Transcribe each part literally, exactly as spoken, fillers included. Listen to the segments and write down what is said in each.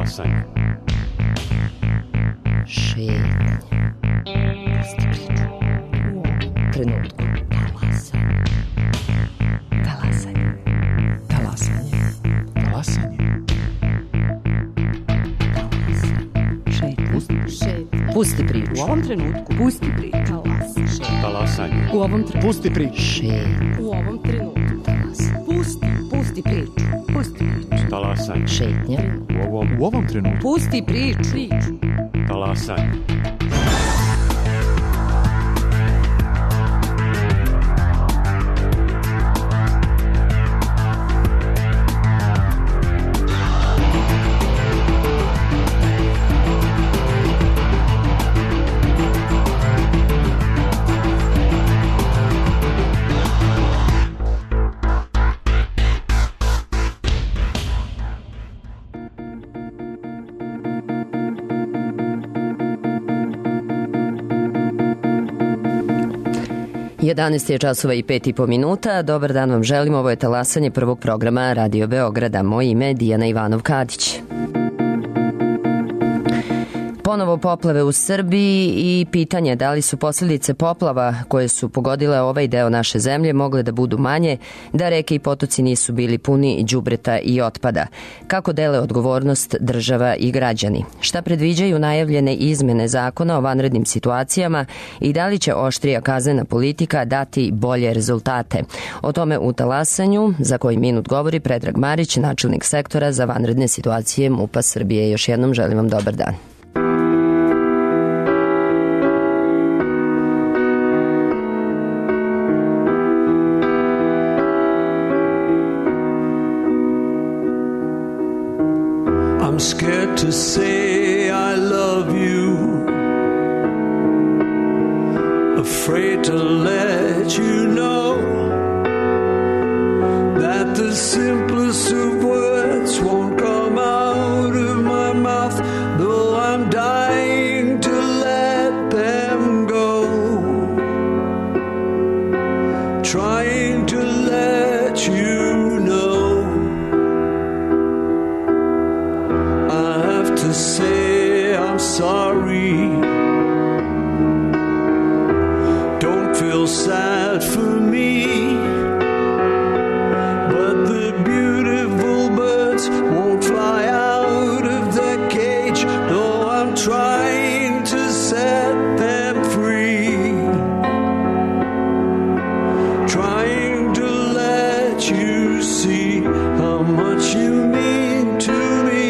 Talasanje. Šetnje. Pusti priču. U ovom trenutku. Talasanje. Talasanje. Talasanje. Talasanje. Šetnje. Pusti, Šetnje. Pusti priču. u ovom trenutku. Pusti priču. Talasanje. Talasanje. U ovom trenutku. Pusti priču. Šetnje. U ovom trenutku. Talasanje. Pusti. Pusti priču. Pusti priču. Talasanje. Šetnje. U ovom U ovom trenutku. Pusti priču. Priču. talasanje. jedanaest je časova i pet i po minuta. Dobar dan vam želim. Ovo je talasanje prvog programa Radio Beograda. Moje ime je Dijana Ivanov-Kadić. Ponovo poplave u Srbiji i pitanje da li su posljedice poplava koje su pogodile ovaj deo naše zemlje mogle da budu manje, da reke i potoci nisu bili puni đubreta i otpada. Kako dele odgovornost država i građani? Šta predviđaju najavljene izmene zakona o vanrednim situacijama i da li će oštrija kaznena politika dati bolje rezultate? O tome u talasanju, za koji minut govori Predrag Marić, načelnik sektora za vanredne situacije MUP-a Srbije. Još jednom želim vam dobar dan. I'm scared to say I love you, afraid to let you know that the simplest of words won't come out of my mouth, though I'm dying to let them go, trying to let you know. To say I'm sorry, don't feel sad for me, but the beautiful birds won't fly out of their cage, though I'm trying to set them free, trying to let you see how much you mean to me.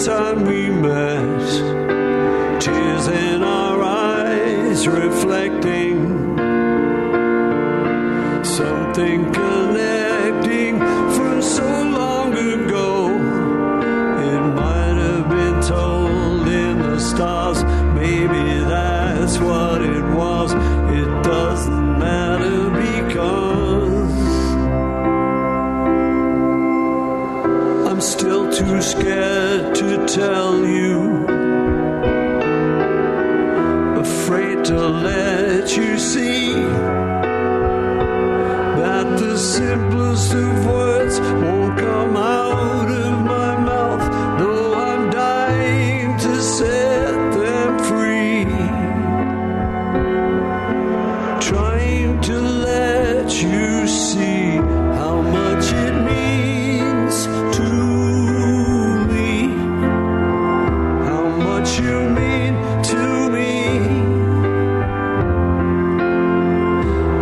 Time we met, tears in our eyes reflecting something connecting from so long ago. It might have been told in the stars, maybe that's what it was. It doesn't matter because I'm still too scared to tell you, afraid to let you see that the simplest of words won't come out of my mouth, though I'm dying to set them free, trying to let you see how much it means to you mean to me,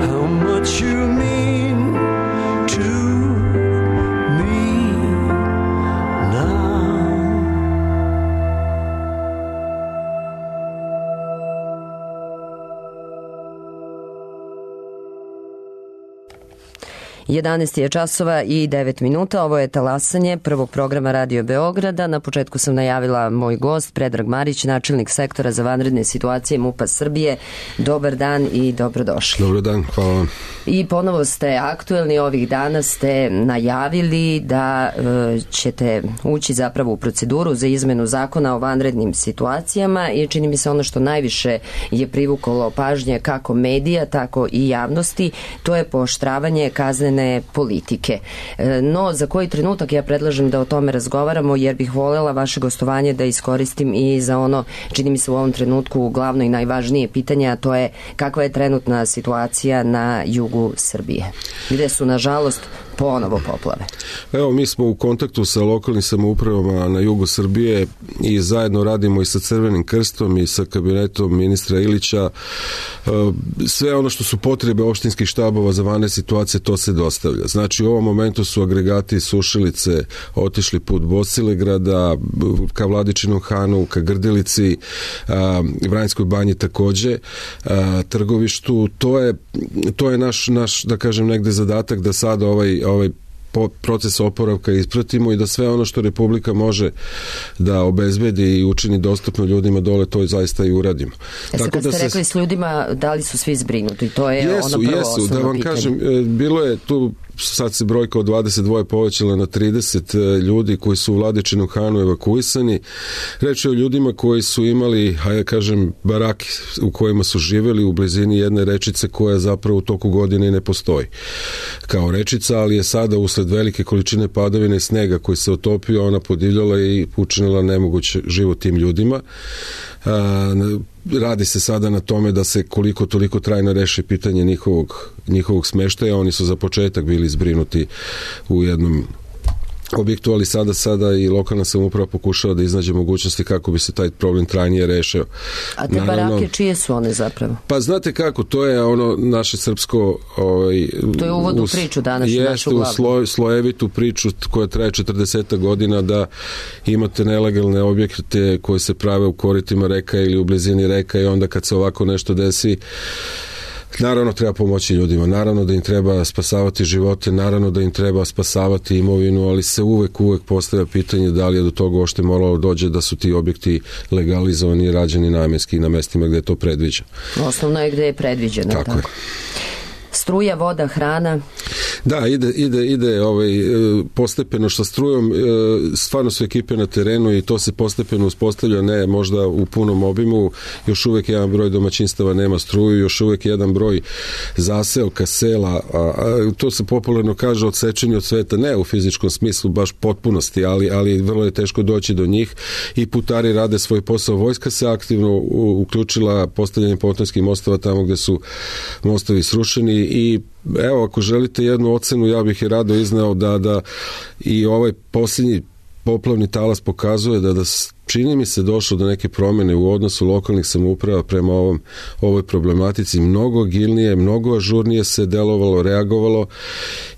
how much you mean to me now. jedanaest je časova i devet minuta. Ovo je talasanje prvog programa Radio Beograda. Na početku sam najavila moj gost, Predrag Marić, načelnik sektora za vanredne situacije MUP-a Srbije. Dobar dan i dobrodošli. Dobar dan, hvala vam. I ponovo ste aktuelni, ovih dana ste najavili da e, ćete ući zapravo u proceduru za izmenu zakona o vanrednim situacijama i čini mi se ono što najviše je privuklo pažnje kako medija, tako i javnosti, to je pooštravanje kaznene politike. E, no, za koji trenutak ja predlažem da o tome razgovaramo, jer bih voljela vaše gostovanje da iskoristim i za ono, čini mi se u ovom trenutku glavno i najvažnije pitanje, a to je kakva je trenutna situacija na jugu Srbije, gde su nažalost ponovo poplave. Evo, mi smo u kontaktu sa lokalnim samoupravama na jugu Srbije i zajedno radimo i sa Crvenim krstom i sa kabinetom ministra Ilića. Sve ono što su potrebe opštinskih štabova za vanredne situacije, to se dostavlja. Znači, u ovom momentu su agregati Sušilice otišli put Bosilegrada, ka Vladičinom Hanu, ka Grdelici, Vranjskoj banji takođe, Trgovištu. To je, to je naš, naš, da kažem, negde zadatak da sada ovaj ovaj proces oporavka ispratimo i da sve ono što Republika može da obezbedi i učini dostupno ljudima dole, to zaista i uradimo. E sad, kad ste da se... rekli s ljudima, da li su svi zbrinuti? To je jesu, ono prvo jesu, osnovno da vam pitanje. kažem, bilo je tu, sad se brojka od dvadeset dva povećala na trideset ljudi koji su u Vladičinu Hanu evakuisani. Reč je o ljudima koji su imali, hajde kažem, barake u kojima su živeli u blizini jedne rečice koja zapravo u toku godine ne postoji kao rečica, ali je sada usled velike količine padavine i snega koji se otopio, ona podivljala i učinila nemoguće život tim ljudima. Radi se sada na tome da se koliko toliko trajno reši pitanje njihovog, njihovog smeštaja. Oni su za početak bili zbrinuti u jednom objektu, ali sada sada i lokalna samouprava pokušava da iznađe mogućnosti kako bi se taj problem trajnije rešio. A te Naravno, barake, čije su one zapravo? Pa znate kako, to je ono naše srpsko... Ovaj, to je uvod u priču danas. Jeste u sloj, slojevitu priču koja traje četrdeset godina, da imate nelegalne objekte koje se prave u koritima reka ili u blizini reka i onda kad se ovako nešto desi, naravno treba pomoći ljudima, naravno da im treba spasavati živote, naravno da im treba spasavati imovinu, ali se uvek, uvek postavlja pitanje da li je do toga ošte moralo dođe da su ti objekti legalizovani i rađeni namenski na mestima gde je to predviđeno. Osnovno je gde je predviđeno. Tako, tako je. Struja, voda, hrana. Da, ide, ide, ide ovaj, postepeno sa strujom, stvarno su ekipe na terenu i to se postepeno uspostavlja, ne možda u punom obimu, još uvek jedan broj domaćinstava nema struju, još uvek jedan broj zaseoka, sela, a, a, to se popularno kaže odsečeni od sveta, ne u fizičkom smislu baš potpunosti, ali, ali vrlo je teško doći do njih i putari rade svoj posao. Vojska se aktivno u, uključila postavljanje pontonskih mostova tamo gde su mostovi srušeni i evo, ako želite jednu ocenu, ja bih je rado izneo da, da i ovaj posljednji poplavni talas pokazuje da, da čini mi se došlo do neke promjene u odnosu lokalnih samouprava prema ovom, ovoj problematici. Mnogo agilnije, mnogo ažurnije se delovalo, reagovalo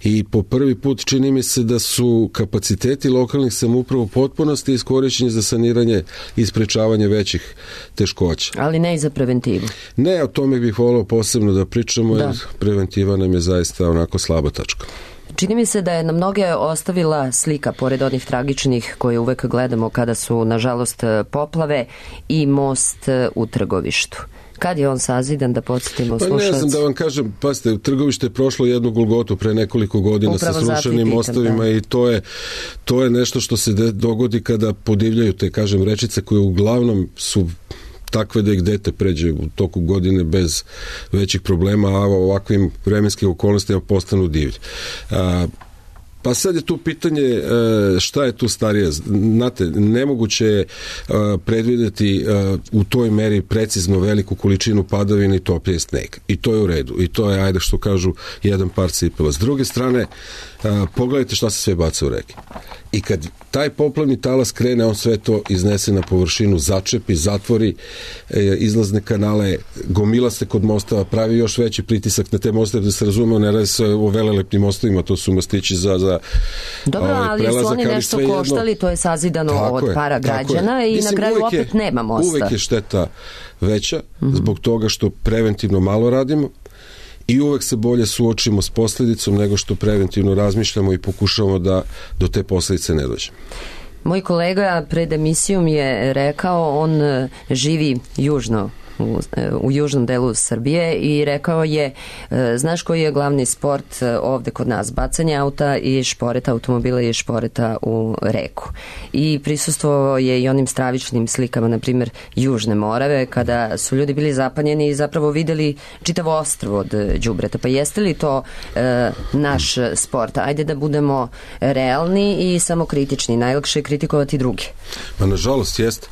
i po prvi put čini mi se da su kapaciteti lokalnih samouprava u potpunosti iskorišćeni za saniranje i sprečavanje većih teškoća. Ali ne i za preventivu. Ne, o tome bih volao posebno da pričamo, da. Jer preventiva nam je zaista onako slaba tačka. Čini mi se da je na mnoge ostavila slika, pored onih tragičnih koje uvek gledamo kada su, nažalost, poplave, i most u Trgovištu. Kad je on sazidan, da podsjetimo slušalci? Pa ne znam da vam kažem, pasite, Trgovište je prošlo jednu Golgotu pre nekoliko godina upravo sa srušenim mostovima, da. I to je, to je nešto što se dogodi kada podivljaju te, kažem, rečice koje uglavnom su takve da ih dete pređe u toku godine bez većih problema, a ovakvim vremenskim okolnostima postanu divlji. A, pa sad je tu pitanje šta je tu starije. Znate, nemoguće je predvideti u toj meri precizno veliku količinu padavina i toplije sneg. I to je u redu. I to je, ajde što kažu, jedan par cipela. S druge strane, pogledajte šta se sve baca u reke. I kad taj poplavni talas krene, on sve to iznese na površinu, začepi, zatvori e, izlazne kanale, gomila se kod mostava, pravi još veći pritisak na te mostove, da se razumemo, ne radi se o velelepnim mostovima, to su mostići za, za dobro, ovaj, ali prelazak, su oni nešto koštali, jedno, to je sazidano tako od je, para građana i Mislim, na kraju opet je, nema mosta. Uvek je šteta veća, mm-hmm. zbog toga što preventivno malo radimo i uvek se bolje suočimo s posljedicom nego što preventivno razmišljamo i pokušavamo da do te posljedice ne dođe. Moj kolega pred emisijom je rekao, on živi južno U, u južnom delu Srbije i rekao je, znaš koji je glavni sport ovde kod nas? Bacanje auta i šporeta automobila i šporeta u reku. I prisustvovao je i onim stravičnim slikama, na primjer Južne Morave, kada su ljudi bili zapanjeni i zapravo videli čitavo ostrvo od đubreta. Pa jeste li to e, naš sport? Ajde da budemo realni i samokritični. Najlakše je kritikovati druge. Pa nažalost jeste.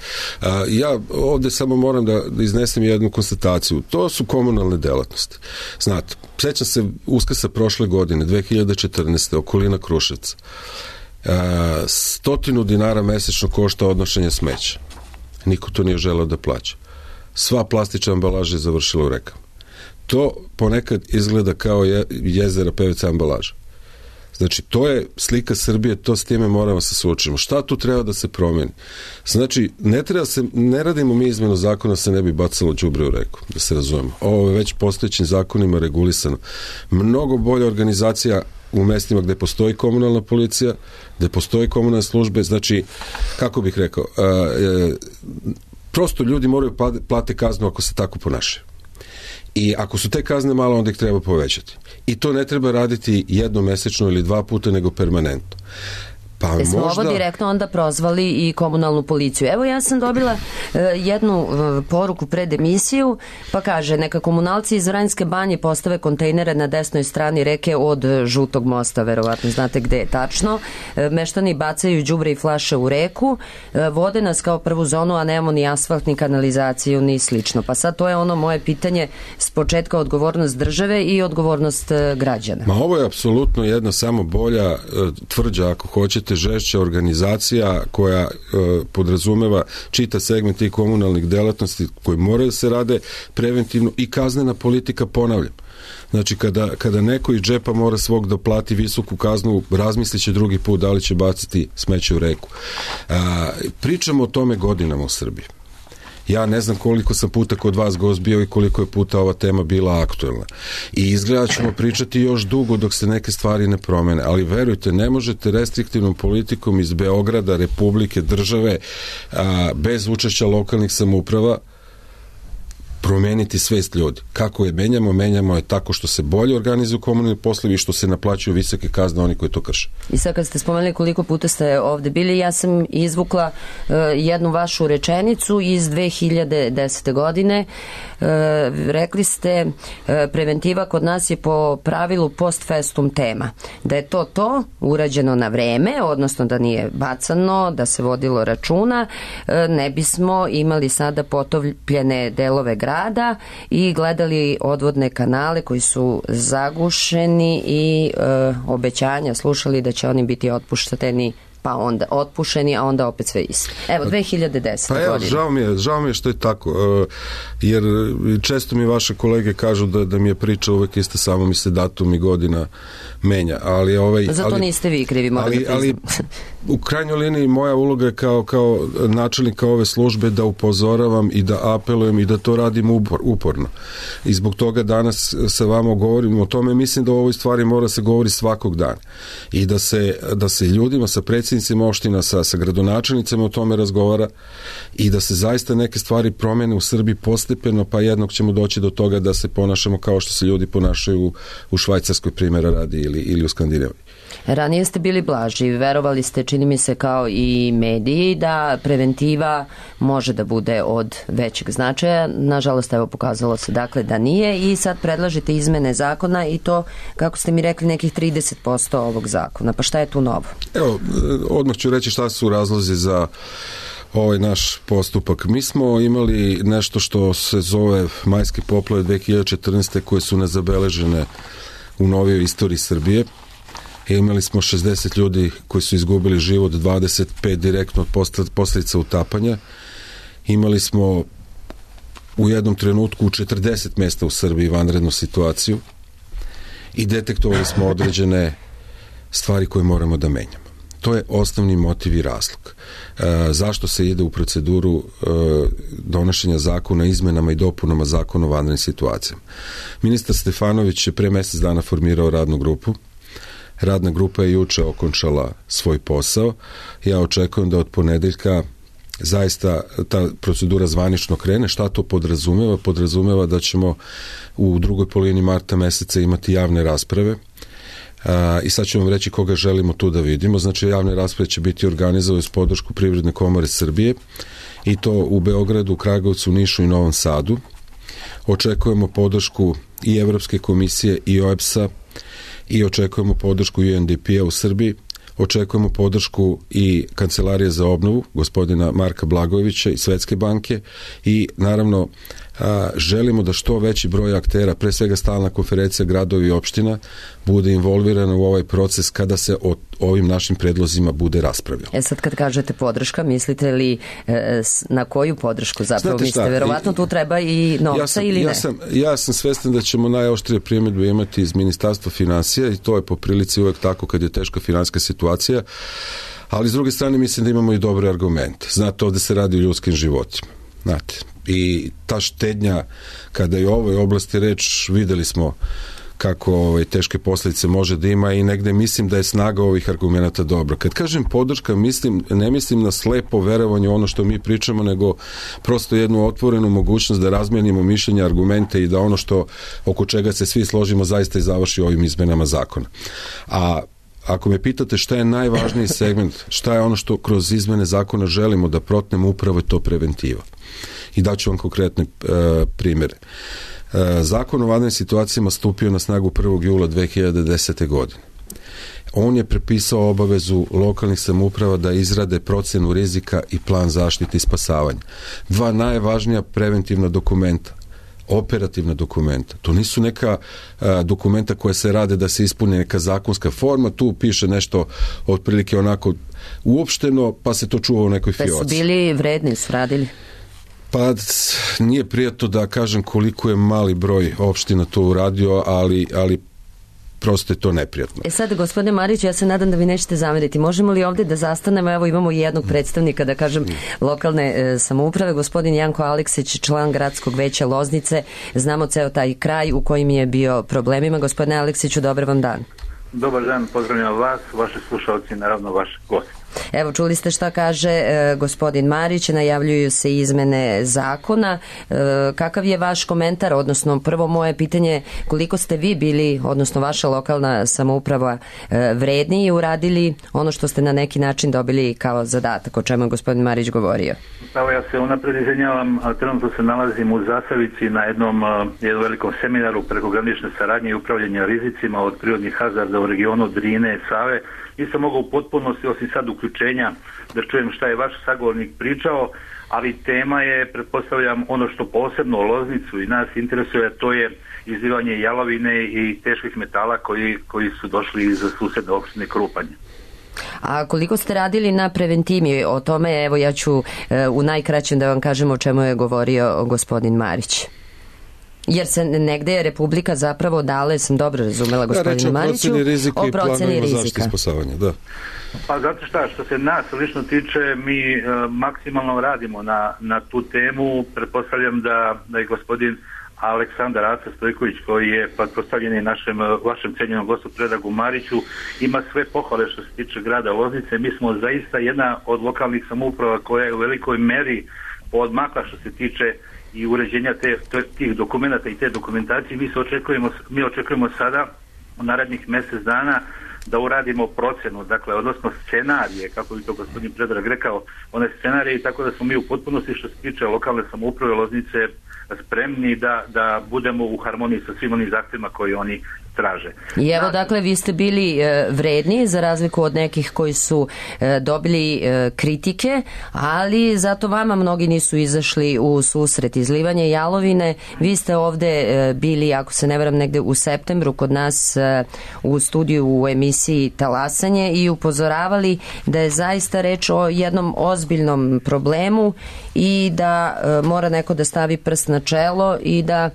Ja ovde samo moram da iznesem jednu konstataciju. To su komunalne delatnosti. Znate, sećam se Uskrsa prošle godine, dve hiljade četrnaeste. okolina Kruševca. E, stotinu dinara mesečno košta odnošenje smeća. Niko to nije želeo da plaća. Sva plastična ambalaža je završila u rekama. To ponekad izgleda kao je, jezera P V C ambalaža. Znači, to je slika Srbije, to s time moramo se suočiti. Šta tu treba da se promeni? Znači, ne treba se, ne radimo mi izmenu zakona se ne bi bacalo đubre u reku, da se razumemo. Ovo je već postojećim zakonima regulisano. Mnogo bolja organizacija u mestima gde postoji komunalna policija, gde postoji komunalne službe, znači, kako bih rekao, a, a, prosto ljudi moraju plate kaznu ako se tako ponašaju. I ako su te kazne malo, onda ih treba povećati. I to ne treba raditi jednomesečno ili dva puta, nego permanentno. Pa e smo možda... ovo direktno onda prozvali i komunalnu policiju. Evo ja sam dobila uh, jednu uh, poruku pred emisiju, pa kaže, neka komunalci iz Vranjske banje postave kontejnere na desnoj strani reke od Žutog mosta, verovatno znate gde je tačno. Uh, meštani bacaju đubre i flaše u reku, uh, vode nas kao prvu zonu, a nemamo ni asfalt, ni kanalizaciju, ni slično. Pa sad to je ono moje pitanje s početka, odgovornost države i odgovornost uh, građana. Ma ovo je apsolutno jedna samo bolja, uh, tvrđa ako hoćete, žešća organizacija koja e, podrazumeva čita segment i komunalnih delatnosti koji moraju da se rade preventivno i kaznena politika, ponavljam. Znači, kada, kada neko iz džepa mora svog da plati visoku kaznu, razmislit će drugi put da li će baciti smeće u reku. A, pričamo o tome godinama u Srbiji. Ja ne znam koliko sam puta kod vas gost bio i koliko je puta ova tema bila aktuelna. I izgleda ćemo pričati još dugo dok se neke stvari ne promene, ali verujte, ne možete restriktivnom politikom iz Beograda, Republike, države, a, bez učešća lokalnih samouprava promeniti svest ljudi. Kako je menjamo? Menjamo je tako što se bolje organizuju komunalni poslovi i što se naplaćuju visoke kazne oni koji to krše. I sad kad ste spomenuli koliko puta ste ovde bili, ja sam izvukla uh, jednu vašu rečenicu iz dve hiljade desete. godine. Uh, rekli ste uh, preventiva kod nas je po pravilu post festum tema. Da je to to urađeno na vreme, odnosno da nije bacano, da se vodilo računa, uh, ne bismo imali sada potopljene delove grada i gledali odvodne kanale koji su zagušeni i e, obećanja slušali da će oni biti otpušteni, pa onda otpušeni, a onda opet sve isto. Evo, dve hiljade desete. Pa evo, godine. žao mi je, žao mi je što je tako, jer često mi vaše kolege kažu da, da mi je priča uvek ista, samo mi se datum i godina menja, ali ovaj... Zato ali, niste vi krivi, moram ali, da priznam. Ali u krajnjoj liniji moja uloga je kao, kao načelnika ove službe da upozoravam i da apelujem i da to radim upor, uporno. I zbog toga danas sa vama govorim o tome, mislim da o ovoj stvari mora se govori svakog dana. I da se, da se ljudima, sa predsjednicima opština, sa, sa gradonačelnicama o tome razgovara i da se zaista neke stvari promene u Srbiji postepeno, pa jednog ćemo doći do toga da se ponašamo kao što se ljudi ponašaju u, u Švajcarskoj, primjera radi, ili, ili u Skandinaviji. Ranije ste bili blaži, verovali ste, čini mi se kao i mediji, da preventiva može da bude od većeg značaja. Nažalost, evo, pokazalo se dakle da nije i sad predlažete izmene zakona i to, kako ste mi rekli, nekih trideset posto ovog zakona. Pa šta je tu novo? Evo, odmah ću reći šta su razlozi za ovaj naš postupak. Mi smo imali nešto što se zove majske poplave dve hiljade četrnaeste. koje su nezabeležene u novijoj istoriji Srbije. I imali smo šezdeset ljudi koji su izgubili život, dvadeset pet direktno od posljedica utapanja. Imali smo u jednom trenutku u četrdeset mesta u Srbiji vanrednu situaciju i detektovali smo određene stvari koje moramo da menjamo. To je osnovni motiv i razlog. E, zašto se ide u proceduru e, donošenja zakona o izmenama i dopunama zakona o vanrednim situacijama? Ministar Stefanović je pre mjesec dana formirao radnu grupu. Radna grupa je juče okončala svoj posao. Ja očekujem da od ponedeljka zaista ta procedura zvanično krene. Šta to podrazumeva? Podrazumeva da ćemo u drugoj polovini marta meseca imati javne rasprave. Uh, i sad ću vam reći koga želimo tu da vidimo. Znači, javne rasprave će biti organizovane s podršku Privredne komore Srbije i to u Beogradu, Kragujevcu, Nišu i Novom Sadu. Očekujemo podršku i Evropske komisije i O E B S-a i očekujemo podršku U N D P-a u Srbiji. Očekujemo podršku i Kancelarije za obnovu gospodina Marka Blagojevića i Svetske banke i naravno a, želimo da što veći broj aktera, pre svega stalna konferencija gradovi i opština, bude involvirana u ovaj proces kada se o ovim našim predlozima bude raspravljao. E sad kad kažete podrška, mislite li e, na koju podršku zapravo mislite? Verovatno tu treba i novca ja sam, ili ja ne? Sam, ja sam svestan da ćemo najoštrije primjedbe imati iz Ministarstva finansija i to je po prilici uvek tako kad je teška finansijska situacija, ali s druge strane mislim da imamo i dobre argumente. Znate, ovde se radi o ljudskim životima. Znate, i ta štednja, kada je u ovoj oblasti reč, videli smo kako ovaj, teške posljedice može da ima i negde mislim da je snaga ovih argumenata dobra. Kad kažem podrška, mislim, ne mislim na slepo verovanje u ono što mi pričamo, nego prosto jednu otvorenu mogućnost da razmenimo mišljenja, argumente i da ono što oko čega se svi složimo zaista i završi ovim izmenama zakona. A ako me pitate šta je najvažniji segment, šta je ono što kroz izmene zakona želimo da protnemo, upravo je to preventiva. I daću vam konkretne e, primjere. E, Zakon o vanrednim situacijama stupio na snagu prvog jula dve hiljade desete. godine. On je prepisao obavezu lokalnih samouprava da izrade procenu rizika i plan zaštite i spasavanja. Dva najvažnija preventivna dokumenta, operativna dokumenta. To nisu neka a, dokumenta koja se rade da se ispuni neka zakonska forma, tu piše nešto otprilike onako uopšteno, pa se to čuva u nekoj fioci. Pa su bili vredni, su radili? Pa nije prijatno da kažem koliko je mali broj opština to uradio, ali, ali prosto je to neprijatno. E sad, gospodine Mariću, ja se nadam da vi nećete zameriti. Možemo li ovdje da zastanemo? Evo imamo jednog predstavnika, da kažem, lokalne e, samouprave, gospodin Janko Aleksić, član gradskog veća Loznice. Znamo ceo taj kraj u kojim je bio problemima. Gospodine Aleksiću, dobar vam dan. Dobar dan, pozdravljam vas, vaši slušalci, naravno vaši gosti. Evo, čuli ste šta kaže e, gospodin Marić, najavljuju se izmene zakona. E, kakav je vaš komentar, odnosno prvo moje pitanje, koliko ste vi bili, odnosno vaša lokalna samouprava e, vredni i uradili ono što ste na neki način dobili kao zadatak, o čemu je gospodin Marić govorio? Evo, ja se unapred izvinjavam, trenutno se nalazim u Zasavici na jednom, jednom velikom seminaru prekogranične saradnje i upravljanja rizicima od prirodnih hazarda u regionu Drine i Save. Nisam mogao u potpunosti, osim sad uključenja, da čujem šta je vaš sagovornik pričao, ali tema je, pretpostavljam, ono što posebno Loznicu i nas interesuje, to je izlivanje jalovine i teških metala koji, koji su došli iz susedne opštine Krupanje. A koliko ste radili na preventivi? O tome, evo ja ću e, u najkraćem da vam kažem o čemu je govorio gospodin Marić. Jer se negde je Republika zapravo dala, sam dobro razumela gospodinu Mariću, o proceni rizika. Da. Pa zato šta, što se nas lično tiče, mi e, maksimalno radimo na, na tu temu. Pretpostavljam da, da je gospodin Aleksandar Aca Stojković, koji je pretpostavljen i našem, vašem cenjenom gostu Predragu Mariću, ima sve pohvale što se tiče grada Loznice. Mi smo zaista jedna od lokalnih samouprava koja je u velikoj meri odmakla što se tiče i uređenja te, tih dokumenta i te dokumentacije. Mi se očekujemo, mi očekujemo sada u narednih mjesec dana da uradimo procenu, dakle, odnosno scenarije, kako bi to gospodin Predrag rekao, one scenarije, i tako da smo mi u potpunosti što se tiče lokalne samouprave Loznice spremni da, da budemo u harmoniji sa svim onim zahtjevima koji oni traže. I evo, dakle, vi ste bili e, vredni za razliku od nekih koji su e, dobili e, kritike, ali zato vama mnogi nisu izašli u susret. Izlivanje jalovine, vi ste ovde e, bili, ako se ne varam, negde u septembru kod nas e, u studiju u emisiji Talasanje i upozoravali da je zaista reč o jednom ozbiljnom problemu i da e, mora neko da stavi prst na čelo i da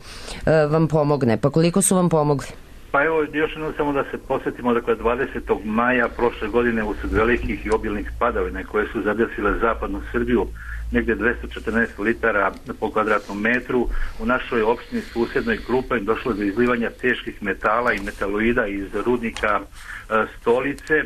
e, vam pomogne. Pa koliko su vam pomogli? Pa evo, još jednom samo da se posjetimo, dakle, dvadesetog maja prošle godine usred velikih i obilnih padavina koje su zadesile zapadnu Srbiju, negdje dvjesto četrnaest litara po kvadratnom metru, u našoj opštini susjednoj Krupanj došlo je do izlivanja teških metala i metaloida iz rudnika e, Stolice. E,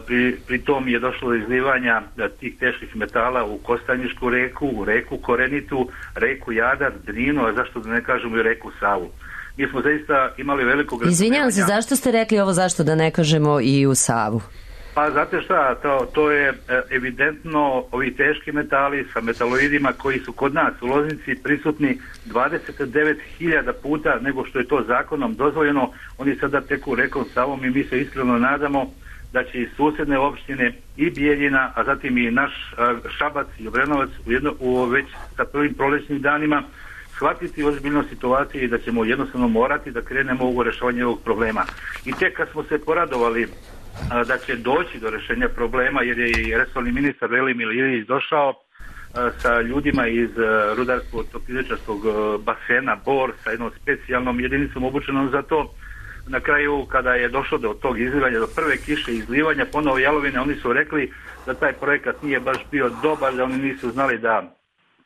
pri, pri tom je došlo do izlivanja e, tih teških metala u Kostanjišku reku, u reku Korenitu, reku Jadar, Drinu, a zašto da ne kažemo i reku Savu. Mi smo zaista imali velikog... Izvinjavam se, zašto ste rekli ovo, zašto da ne kažemo i u Savu? Pa znate šta, to, to je evidentno, ovi teški metali sa metaloidima koji su kod nas u Loznici prisutni dvadeset devet hiljada puta nego što je to zakonom dozvoljeno, oni sada teku rekom Savom i mi se iskreno nadamo da će i susjedne opštine i Bijeljina, a zatim i naš Šabac i Obrenovac u, jedno, u već sa prvim prolećnim danima shvatiti ozbiljno situaciju i da ćemo jednostavno morati da krenemo u rešavanje ovog problema. I tek kad smo se poradovali a, da će doći do rešenja problema, jer je i resorni ministar Velimir Ilić došao a, sa ljudima iz rudarsko-topioničarskog basena Bor sa jednom specijalnom jedinicom obučenom za to. Na kraju, kada je došlo do tog izlivanja, do prve kiše izlivanja, ponovo jalovine, oni su rekli da taj projekat nije baš bio dobar, da oni nisu znali da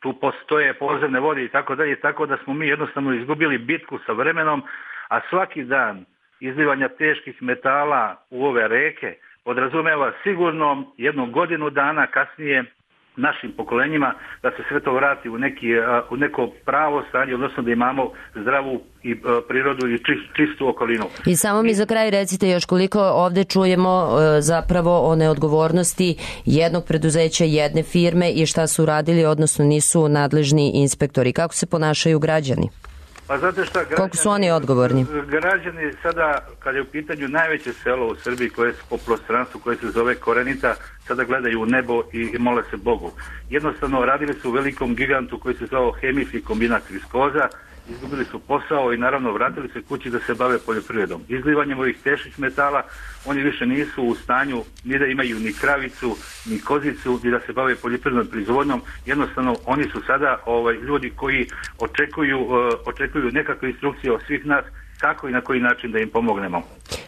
tu postoje podzemne vode i tako dalje, tako da smo mi jednostavno izgubili bitku sa vremenom, a svaki dan izlivanja teških metala u ove reke podrazumeva sigurno jednu godinu dana kasnije našim pokolenjima da se sve to vrati u, neki, u neko pravo stanje, odnosno da imamo zdravu i prirodu i čistu okolinu. I samo mi za kraj recite još koliko ovde čujemo zapravo o neodgovornosti jednog preduzeća, jedne firme i šta su radili, odnosno nisu nadležni inspektori. Kako se ponašaju građani? Pa znate šta, građani, koliko su oni odgovorni? Građani sada, kada je u pitanju najveće selo u Srbiji koje je po prostranstvu, koje se zove Korenita, sada gledaju u nebo i mole se Bogu. Jednostavno radili su u velikom gigantu koji se zvao hemijski kombinat Viskoza, izgubili su posao i naravno vratili se kući da se bave poljoprivredom. Izlivanjem ovih teških metala oni više nisu u stanju ni da imaju ni kravicu, ni kozicu, ni da se bave poljoprivrednom proizvodnjom. Jednostavno oni su sada ovaj, ljudi koji očekuju, uh, očekuju nekakve instrukcije od svih nas kako i na koji način da im pomognemo.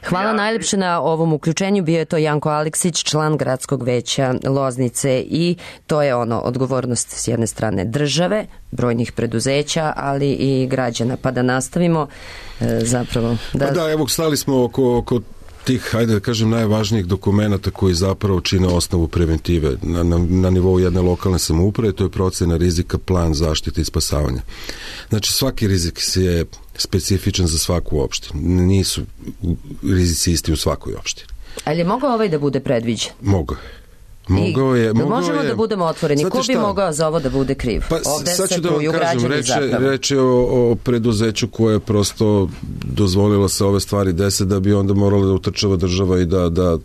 Hvala ja... najlepše na ovom uključenju. Bio je to Janko Aleksić, član Gradskog veća Loznice, i to je ono odgovornost s jedne strane države, brojnih preduzeća, ali i građana. Pa da nastavimo e, zapravo. Da... Pa da, evo, stali smo oko, oko tih, hajde da kažem, najvažnijih dokumenata koji zapravo čine osnovu preventive na, na, na nivou jedne lokalne samouprave, to je procena rizika, plan zaštite i spasavanja. Znači, svaki rizik je specifičan za svaku opštinu. Nisu rizici isti u svakoj opštini. Ali je mogao ovaj da bude predviđen? Mogao. Mogao je, mogao možemo je, da budemo otvoreni. Ko bi mogao za ovo da bude kriv? Pa, ovde sad ću se da vam kažem, reče, reče o, o preduzeću koje je prosto dozvolilo se ove stvari dese da bi onda morala da utrčava država i da, da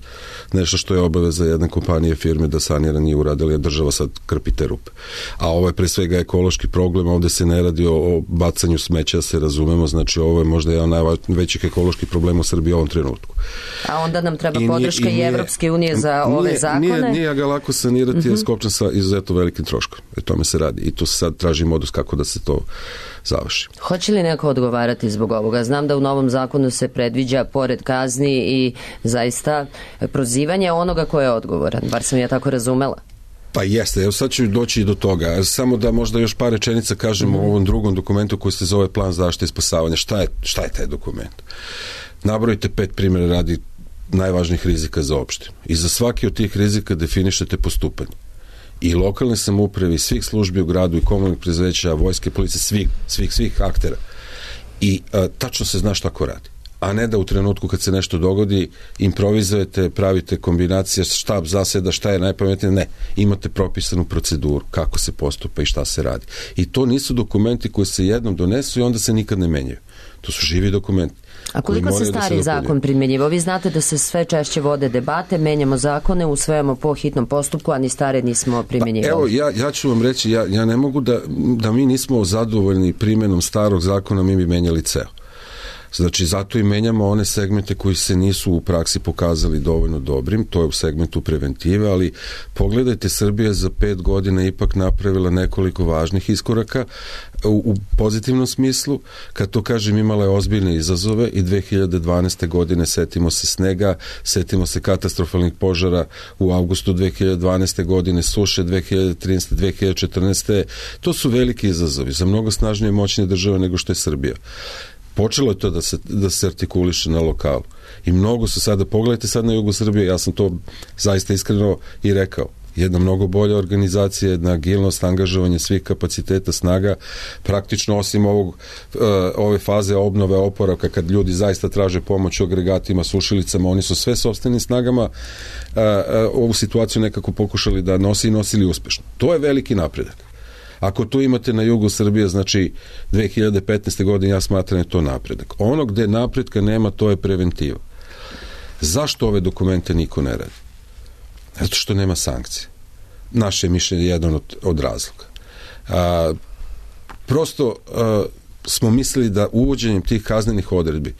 nešto što je obaveza jedne kompanije, firme da sanira nije uradili, a država sad krpite rupe. A ovo je pre svega ekološki problem, ovde se ne radi o, o bacanju smeća, se razumemo, znači ovo je možda jedan najvećih ekoloških problema u Srbiji u ovom trenutku. A onda nam treba I podrška nije, i, i Evropske unije za nije, ove zakone? Nije, nije ga lako sanirati, mm-hmm. je skopčan sa izuzetno velikim troškom. E tome se radi. I tu se sad traži modus kako da se to završi. Hoće li neko odgovarati zbog ovoga? Znam da u novom zakonu se predviđa pored kazni i zaista prozivanje onoga ko je odgovoran. Bar sam ja tako razumela. Pa jeste, evo sad ću doći i do toga. Samo da možda još par rečenica kažemo mm-hmm. o ovom drugom dokumentu koji se zove plan zaštite i spasavanja. Šta je, šta je taj dokument? Nabrojite pet primjera radi najvažnijih rizika za opštinu. I za svaki od tih rizika definišete postupanje. I lokalne samouprave, i svih službi u gradu, i komunalnih preduzeća, vojske, policije, svih, svih, svih aktera. I a, tačno se zna šta ko radi. A ne da u trenutku kad se nešto dogodi improvizujete, pravite kombinacije, štab zaseda, šta je najpametnije. Ne, imate propisanu proceduru kako se postupa i šta se radi. I to nisu dokumenti koji se jednom donesu i onda se nikad ne menjaju. To su živi dokumenti. A koliko se stari da se zakon primjenjivo? Vi znate da se sve češće vode debate, menjamo zakone, usvajamo po hitnom postupku, a ni stare nismo primjenjivali. Pa evo, ja, ja ću vam reći, ja, ja ne mogu da, da mi nismo zadovoljni primjenom starog zakona, mi bi menjali ceo. Znači, zato i menjamo one segmente koji se nisu u praksi pokazali dovoljno dobrim, to je u segmentu preventive, ali pogledajte, Srbija za pet godina ipak napravila nekoliko važnih iskoraka u, u pozitivnom smislu. Kad to kažem, imala je ozbiljne izazove i dve hiljade dvanaeste. godine setimo se snega, setimo se katastrofalnih požara u avgustu dve hiljade dvanaeste. godine, suše dve hiljade trinaeste. dve hiljade četrnaeste. To su veliki izazovi za mnogo snažnije i moćnije države nego što je Srbija. Počelo je to da se, da se artikuliše na lokalu. I mnogo su sada, pogledajte sad na jugu Srbije, ja sam to zaista iskreno i rekao, jedna mnogo bolja organizacija, jedna agilnost, angažovanje svih kapaciteta, snaga, praktično osim ovog, ove faze obnove, oporavka, kad ljudi zaista traže pomoć u agregatima, sušilicama, oni su sve sopstvenim snagama ovu situaciju nekako pokušali da nosi i nosili uspešno. To je veliki napredak. Ako to imate na jugu Srbije, znači dve hiljade petnaeste. godine, ja smatram je to napredak. Ono gde napredka nema, to je preventiva. Zašto ove dokumente niko ne radi? Zato što nema sankcije. Naše mišljenje je jedan od, od razloga. A, prosto a, smo mislili da uvođenjem tih kaznenih odredbi,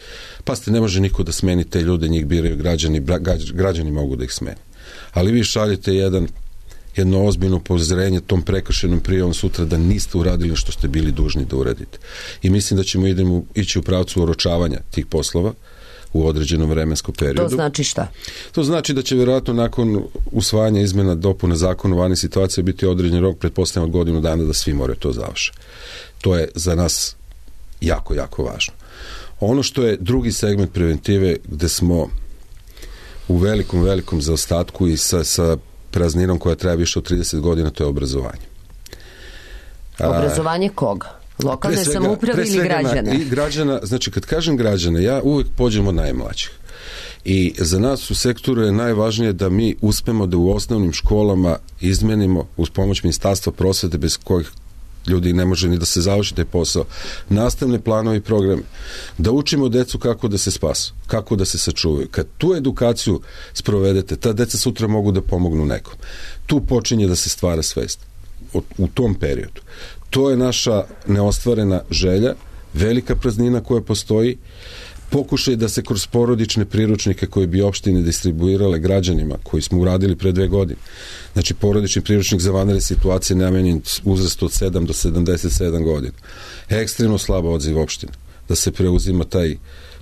pa ste, ne može niko da smeni te ljude, njih biraju građani, građani mogu da ih smeni. Ali vi šaljete jedan jedno ozbiljno upozorenje tom prekršenom prijavom sutra da niste uradili što ste bili dužni da uradite. I mislim da ćemo idemo ići u pravcu oročavanja tih poslova u određenom vremenskom periodu. To znači šta? To znači da će vjerojatno nakon usvajanja izmena dopuna zakona u vanjih situacija biti određen rok, pretpostavljam od godinu dana, da svi moraju to završe. To je za nas jako, jako važno. Ono što je drugi segment preventive, gde smo u velikom, velikom zaostatku i sa, sa prazninom koja traje više od trideset godina, to je obrazovanje. Obrazovanje koga? Lokalne samouprave ili građana? I građana, znači kad kažem građana, ja uvek pođem od najmlađih. I za nas u sektoru je najvažnije da mi uspemo da u osnovnim školama izmenimo, uz pomoć Ministarstva prosvete, bez kojih ljudi ne može ni da se završi taj posao, nastavne planove i programe, da učimo decu kako da se spasu, kako da se sačuvaju. Kad tu edukaciju sprovedete, ta deca sutra mogu da pomognu nekom. Tu počinje da se stvara svest. U tom periodu. To je naša neostvarena želja, velika praznina koja postoji, pokušaj da se kroz porodične priručnike koje bi opštine distribuirale građanima, koji smo uradili pre dve godine. Znači, porodični priručnik za vanredne situacije namenjen uzrastu od sedam do sedamdeset sedam godina. Ekstremno slabo odziv opštine. Da se preuzima taj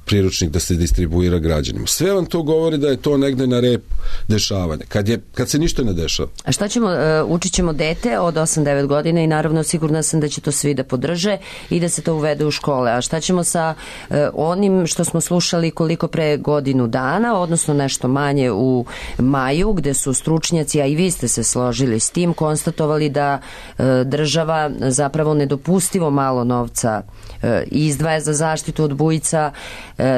priručnik, da se distribuira građanima. Sve vam to govori da je to negde na rep dešavanja. Kad, je, kad se ništa ne dešava. A šta ćemo, uh, učit ćemo dete od osam devet godina i naravno sigurna sam da će to svi da podrže i da se to uvede u škole. A šta ćemo sa uh, onim što smo slušali koliko pre godinu dana, odnosno nešto manje u maju, gde su stručnjaci, a i vi ste se složili s tim, konstatovali da uh, država zapravo nedopustivo malo novca uh, izdvaja za zaštitu od bujica,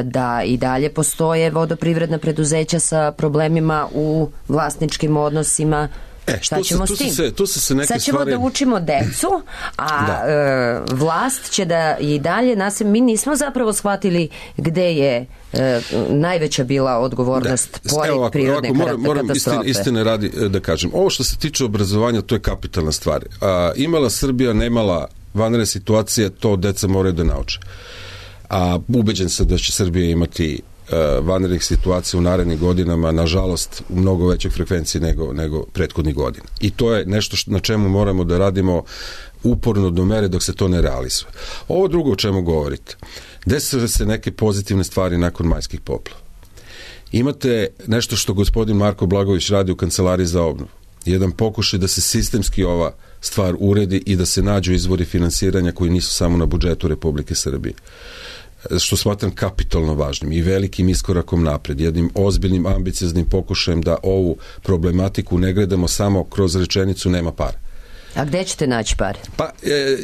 da i dalje postoje vodoprivredna preduzeća sa problemima u vlasničkim odnosima. E, šta ćemo se, s tim? Se, tu se se neke Sad ćemo stvari... da učimo decu, a da. e, vlast će da i dalje nas... Mi nismo zapravo shvatili gde je e, najveća bila odgovornost da. pored ovako, prirodne ovako, moram, moram katastrofe. Moram istine, istine radi da kažem. Ovo što se tiče obrazovanja, to je kapitalna stvar. A, imala Srbija, nemala vanredne situacije, to deca moraju da nauče. A ubeđen sam da će Srbija imati uh, vanrednih situacija u narednim godinama, nažalost u mnogo većoj frekvenciji nego, nego prethodnih godina. I to je nešto što, na čemu moramo da radimo uporno do mere dok se to ne realizuje. Ovo drugo o čemu govorite, desile se neke pozitivne stvari nakon majskih poplava. Imate nešto što gospodin Marko Blagović radi u Kancelariji za obnovu. Jedan pokušaj da se sistemski ova stvar uredi i da se nađu izvori finansiranja koji nisu samo na budžetu Republike Srbije. Što smatram kapitalno važnim i velikim iskorakom napred, jednim ozbiljnim ambicioznim pokušajem da ovu problematiku ne gledamo samo kroz rečenicu nema para. A gde ćete naći pare? Pa, e,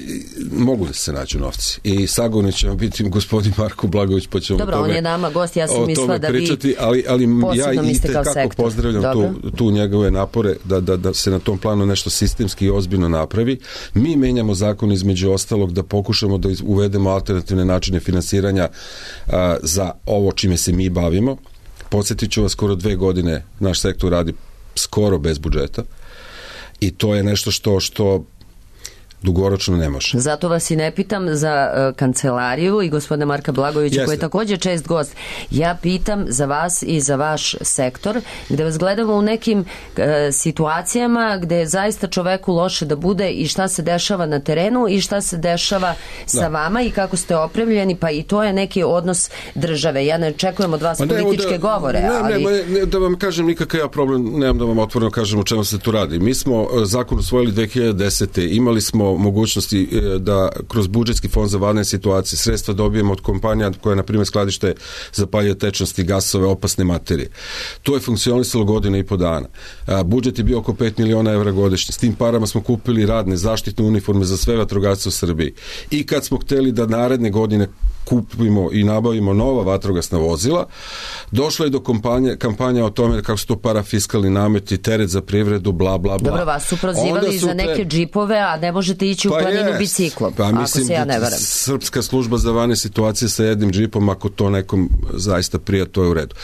mogu da se nađu novci. I sagovornik će vam biti gospodin Marko Blagović, pa ćemo Dobro, o tome, on je nama gost, ja sam mislila da pričati, vi ali, ali ja i kako pozdravljam tu, tu njegove napore da, da, da se na tom planu nešto sistemski i ozbiljno napravi. Mi menjamo zakon između ostalog da pokušamo da uvedemo alternativne načine finansiranja a, za ovo čime se mi bavimo. Podsjetit ću vas, skoro dve godine naš sektor radi skoro bez budžeta. I to je nešto što, što Dugoročno ne može. Zato vas i ne pitam za uh, kancelariju i gospodina Marka Blagojevića, Jeste. koji je također čest gost. Ja pitam za vas i za vaš sektor, gde vas gledamo u nekim uh, situacijama gde je zaista čoveku loše da bude i šta se dešava na terenu i šta se dešava sa da. vama i kako ste opremljeni, pa i to je neki odnos države. Ja ne očekujem od vas Pa ne, političke da, govore, ne, ali... Ne, ne, da vam kažem nikakav ja problem, nemam da vam otvoreno kažem o čemu se tu radi. Mi smo zakon usvojili dve hiljade desete. Imali smo mogućnosti da kroz budžetski fond za vanredne situacije sredstva dobijemo od kompanija koja, na primjer, skladište zapaljive tečnosti, gasove, opasne materije. To je funkcionisalo godine i po dana. A, budžet je bio oko pet miliona evra godišnje. S tim parama smo kupili radne zaštitne uniforme za sve vatrogasce u Srbiji. I kad smo hteli da naredne godine kupimo i nabavimo nova vatrogasna vozila, došlo je do kampanje, kampanja o tome kako su to parafiskalni nameti, teret za privredu, bla, bla, bla. Dobro, vas su prozivali su za neke te... džipove, a ne možete ići u pa planinu jest. biciklom, pa, ako mislim, se ja ne varam. Srpska služba za vanredne situacije sa jednim džipom, ako to nekom zaista prija, to je u redu.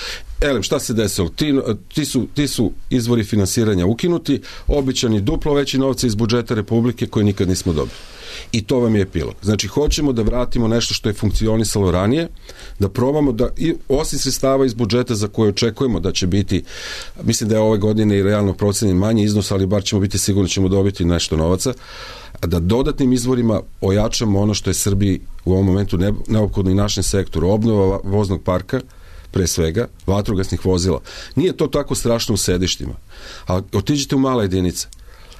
Elem, šta se desilo? Ti, ti, su, ti su izvori finansiranja ukinuti, običani duplo veći novci iz budžeta Republike koje nikad nismo dobili. I to vam je epilog. Znači, hoćemo da vratimo nešto što je funkcionisalo ranije, da probamo da, i osim sredstava iz budžeta za koje očekujemo da će biti, mislim da je ove godine i realno procenjen manji iznos, ali bar ćemo biti sigurni ćemo dobiti nešto novaca, a da dodatnim izvorima ojačamo ono što je Srbiji u ovom momentu neophodno i našem sektoru, obnova voznog parka, pre svega, vatrogasnih vozila. Nije to tako strašno u sedištima, ali otiđite u male jedinice.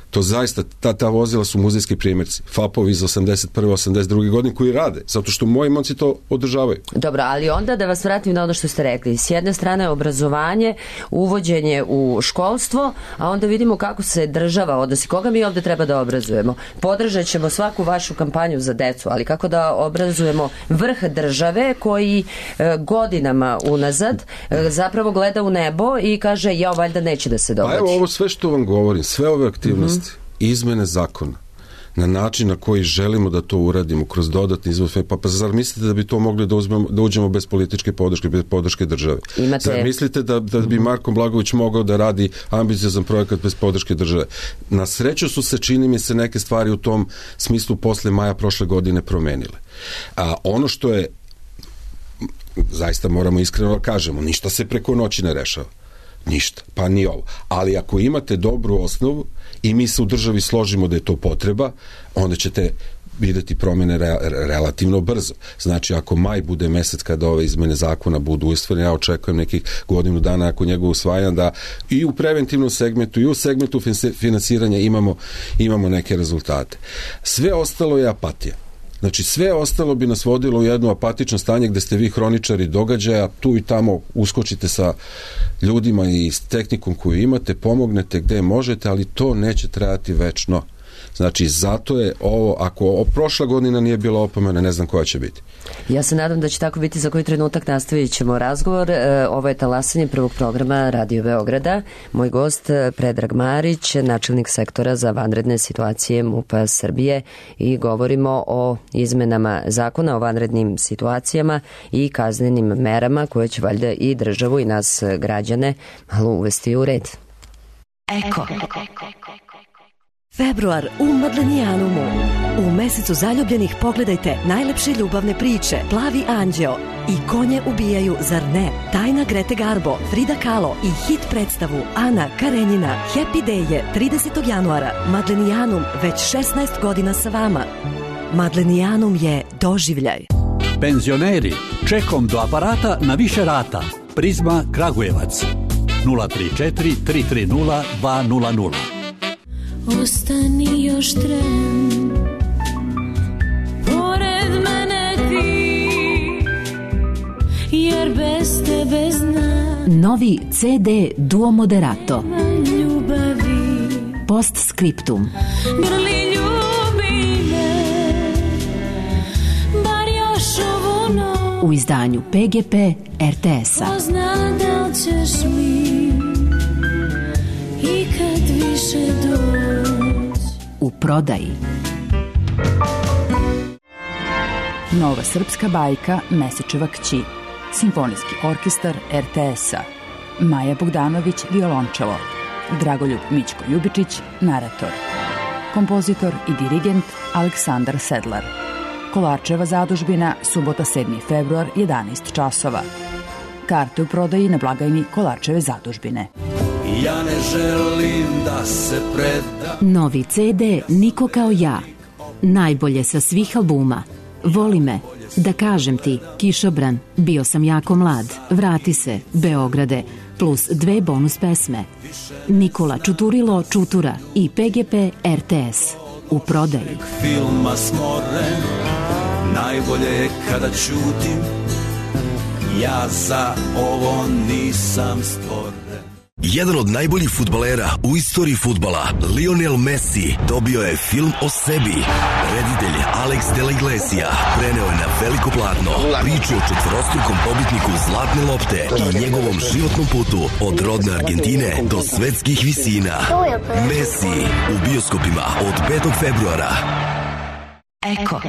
To zaista, ta, ta vozila su muzejski primjerci. Fapovi iz osamdeset prve osamdeset druge godine koji rade, zato što moji momci to održavaju. Dobro, ali onda da vas vratim na ono što ste rekli. S jedne strane obrazovanje, uvođenje u školstvo, a onda vidimo kako se država odnosi. Koga mi ovde treba da obrazujemo? Podržat ćemo svaku vašu kampanju za decu, ali kako da obrazujemo vrh države koji e, godinama unazad e, zapravo gleda u nebo i kaže, ja valjda neće da se dogodi. Pa evo ovo sve što vam govorim, sve ove aktivnosti, mm-hmm. izmene zakona na način na koji želimo da to uradimo kroz dodatni izvor, pa, pa zar mislite da bi to mogli da, uzmemo, da uđemo bez političke podrške, bez podrške države? Imate... Zar mislite da, da bi Marko Blagojević mogao da radi ambiciozan projekat bez podrške države? Na sreću su se, čini mi se, neke stvari u tom smislu posle maja prošle godine promenile. A ono što je, zaista moramo iskreno da kažemo, ništa se preko noći ne rešava. Ništa, pa ni ovo. Ali ako imate dobru osnovu i mi se u državi složimo da je to potreba, onda ćete videti promene re, relativno brzo. Znači, ako maj bude mesec kada ove izmene zakona budu usvojene, ja očekujem nekih godinu dana ako njegov usvajanja da i u preventivnom segmentu i u segmentu finansiranja imamo, imamo neke rezultate. Sve ostalo je apatija. Znači, sve ostalo bi nas vodilo u jedno apatično stanje gde ste vi hroničari događaja, tu i tamo uskočite sa ljudima i s tehnikom koju imate, pomognete gde možete, ali to neće trajati večno. Znači, zato je ovo, ako prošla godina nije bila opomena, ne znam koja će biti. Ja se nadam da će tako biti. Za koji trenutak nastavit ćemo razgovor. E, ovo je talasanje prvog programa Radio Beograda. Moj gost Predrag Marić, načelnik sektora za vanredne situacije MUP-a Srbije, i govorimo o izmenama zakona o vanrednim situacijama i kaznenim merama koje će valjda i državu i nas građane malo uvesti u red. Eko. Februar u Madlenijanumu. U mesecu zaljubljenih pogledajte najlepše ljubavne priče Plavi anđeo i Konje ubijaju, zar ne? Tajna Grete Garbo, Frida Kahlo i hit predstavu Ana Karenjina. Happy Day je tridesetog januara. Madlenijanum već šesnaest godina sa vama. Madlenijanum je doživljaj. Penzioneri, čekom do aparata na više rata. Prizma Kragujevac. nula tri četiri tri tri nula dva nula nula. Ostani još tren, pored mene ti, jer bez tebe znam. Novi ce de Duo Moderato. Ljubavi. Postscriptum. Grli ljubi me, bar još ovu noć. U izdanju pe ge pe er te es-a. Ko zna da li ćeš mi ikad više doći. U prodaji. Nova srpska bajka Mesečeva kći. Simfonijski orkestar er te es-a. Maja Bogdanović, violončelo. Dragoljub Mićko Ljubičić, narator. kompozitor i dirigent Aleksandar Sedlar. Kolarčeva zadužbina, subota sedmi februar, jedanaest časova. Karte u prodaji na blagajni Kolarčeve zadužbine. Ja ne želim da se predam. Novi ce de Niko kao ja. Najbolje sa svih albuma. Voli me. Da kažem ti, Kišobran, bio sam jako mlad, vrati se, Beograde, plus dve bonus pesme. Nikola Čuturilo Čutura i pe ge pe er te es. U prodaji. Filma smoren, najbolje je kada ćutim, ja za ovo nisam stvoren. Jedan od najboljih fudbalera u istoriji fudbala, Lionel Messi, dobio je film o sebi. Reditelj Alex de la Iglesia preneo je na veliko platno priču o četvorostrukom pobitniku Zlatne lopte i njegovom životnom putu od rodne Argentine do svetskih visina. Messi u bioskopima od petog februara. Eko.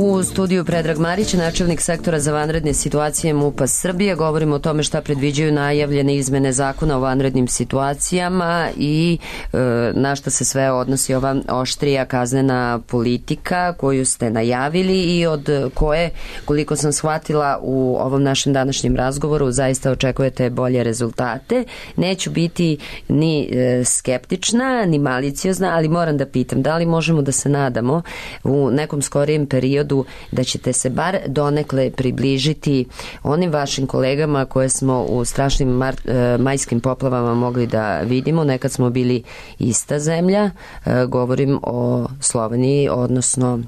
U studiju Predrag Marić, načelnik sektora za vanredne situacije MUP-a Srbije. Govorimo o tome šta predviđaju najavljene izmene zakona o vanrednim situacijama i e, na šta se sve odnosi ova oštrija kaznena politika koju ste najavili i od koje, koliko sam shvatila u ovom našem današnjem razgovoru, zaista očekujete bolje rezultate. Neću biti ni e, skeptična, ni maliciozna, ali moram da pitam, da li možemo da se nadamo u nekom skorijem periodu da ćete se bar donekle približiti onim vašim kolegama koje smo u strašnim mar, e, majskim poplavama mogli da vidimo. Nekad smo bili ista zemlja, e, govorim o Sloveniji, odnosno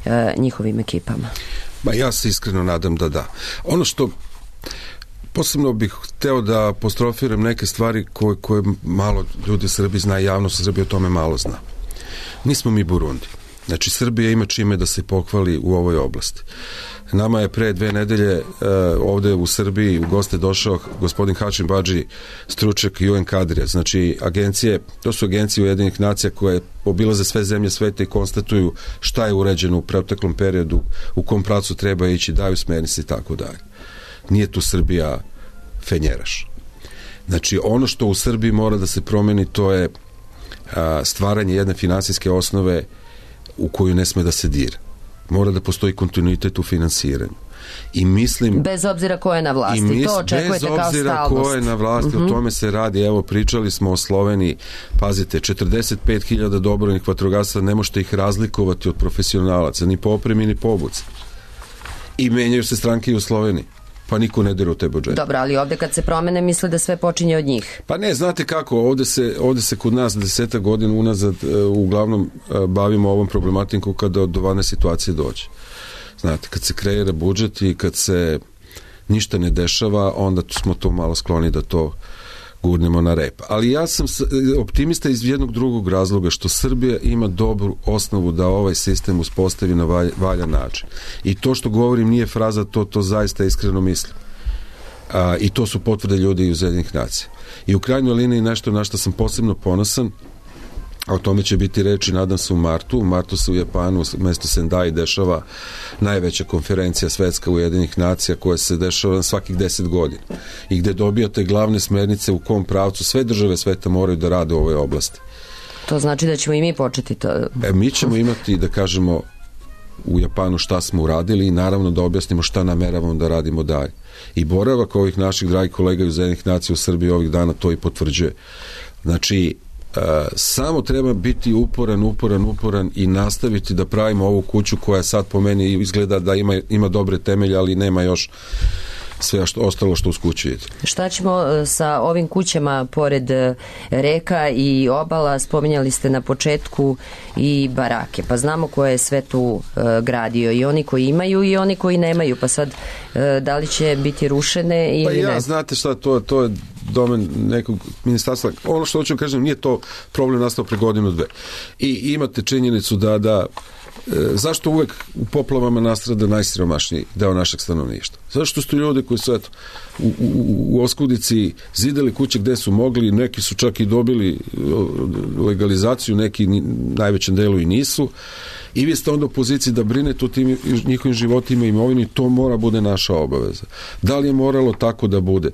e, njihovim ekipama. Ba, ja se iskreno nadam da da. Ono što posebno bih hteo da apostrofiram neke stvari koje, koje malo ljudi u Srbiji zna, javnost u Srbiji o tome malo zna. Nismo mi Burundi. Znači, Srbija ima čime da se pohvali u ovoj oblasti. Nama je pre dve nedelje uh, ovde u Srbiji u goste došao gospodin Hašim Badži, stručnjak ju en kadrija. Znači, agencije, to su agencije Ujedinjenih nacija koje obilaze sve zemlje sveta i konstatuju šta je uređeno u proteklom periodu, u kom pravcu treba ići, daju smernice i tako dalje. Nije tu Srbija fenjeraš. Znači, ono što u Srbiji mora da se promeni, to je uh, stvaranje jedne finansijske osnove u koju ne sme da se dira. Mora da postoji kontinuitet u finansiranju. I mislim... Bez obzira ko je na vlasti, mis, to očekujete kao stalnost. Bez obzira ko je na vlasti, uh-huh. O tome se radi. Evo, pričali smo o Sloveniji. Pazite, četrdeset pet hiljada dobrovoljnih vatrogasaca, ne možete ih razlikovati od profesionalaca, ni po opremi, ni po obuci. I menjaju se stranke i u Sloveniji. Pa niko ne dira u te budžete. Dobro, ali ovde kad se promene misle da sve počinje od njih. Pa ne, znate kako, ovde se, ovde se kod nas deseta godina unazad uh, uglavnom uh, bavimo ovom problematikom kada do ovane situacije dođe. Znate, kad se kreira budžet i kad se ništa ne dešava, onda smo to malo skloni da to gurnemo na rep. Ali ja sam optimista iz jednog drugog razloga, što Srbija ima dobru osnovu da ovaj sistem uspostavi na valj, valjan način. I to što govorim nije fraza, to, to zaista iskreno mislim. A, I to su potvrde ljudi iz Ujedinjenih nacija. I u krajnjoj liniji nešto na što sam posebno ponosan, a o tome će biti reči, nadam se, u martu. U martu se u Japanu, u mestu Sendai, dešava najveća konferencija svetska Ujedinjenih nacija koja se dešava na svakih deset godina i gde dobijate glavne smernice u kom pravcu sve države sveta moraju da rade u ovoj oblasti. To znači da ćemo i mi početi to... E, mi ćemo imati, da kažemo, u Japanu šta smo uradili i naravno da objasnimo šta nameravamo da radimo dalje. I boravak ovih naših dragih kolega iz Ujedinjenih nacija u Srbiji ovih dana to i potvrđuje. Znači, Uh, samo treba biti uporan, uporan, uporan i nastaviti da pravimo ovu kuću koja sad po meni izgleda da ima, ima dobre temelje, ali nema još sve što, ostalo što uz kuću ide. Šta ćemo sa ovim kućama pored reka i obala? Spominjali ste na početku i barake, pa znamo ko je sve tu uh, gradio, i oni koji imaju i oni koji nemaju, pa sad uh, da li će biti rušene ili pa ja, ne? Pa znate šta, to, to je domen nekog ministarstva. Ono što hoću kažem, nije to problem nastao pre godinu dve. I imate činjenicu da, da zašto uvek u poplavama nastrada najsiromašniji deo našeg stanovništva? Zašto su ljudi koji su eto, u, u, u oskudici zidali kuće gde su mogli, neki su čak i dobili legalizaciju, neki najvećem delu i nisu, i vi ste onda u poziciji da brinete o tim njihovim životima i imovini, to mora bude naša obaveza. Da li je moralo tako da bude?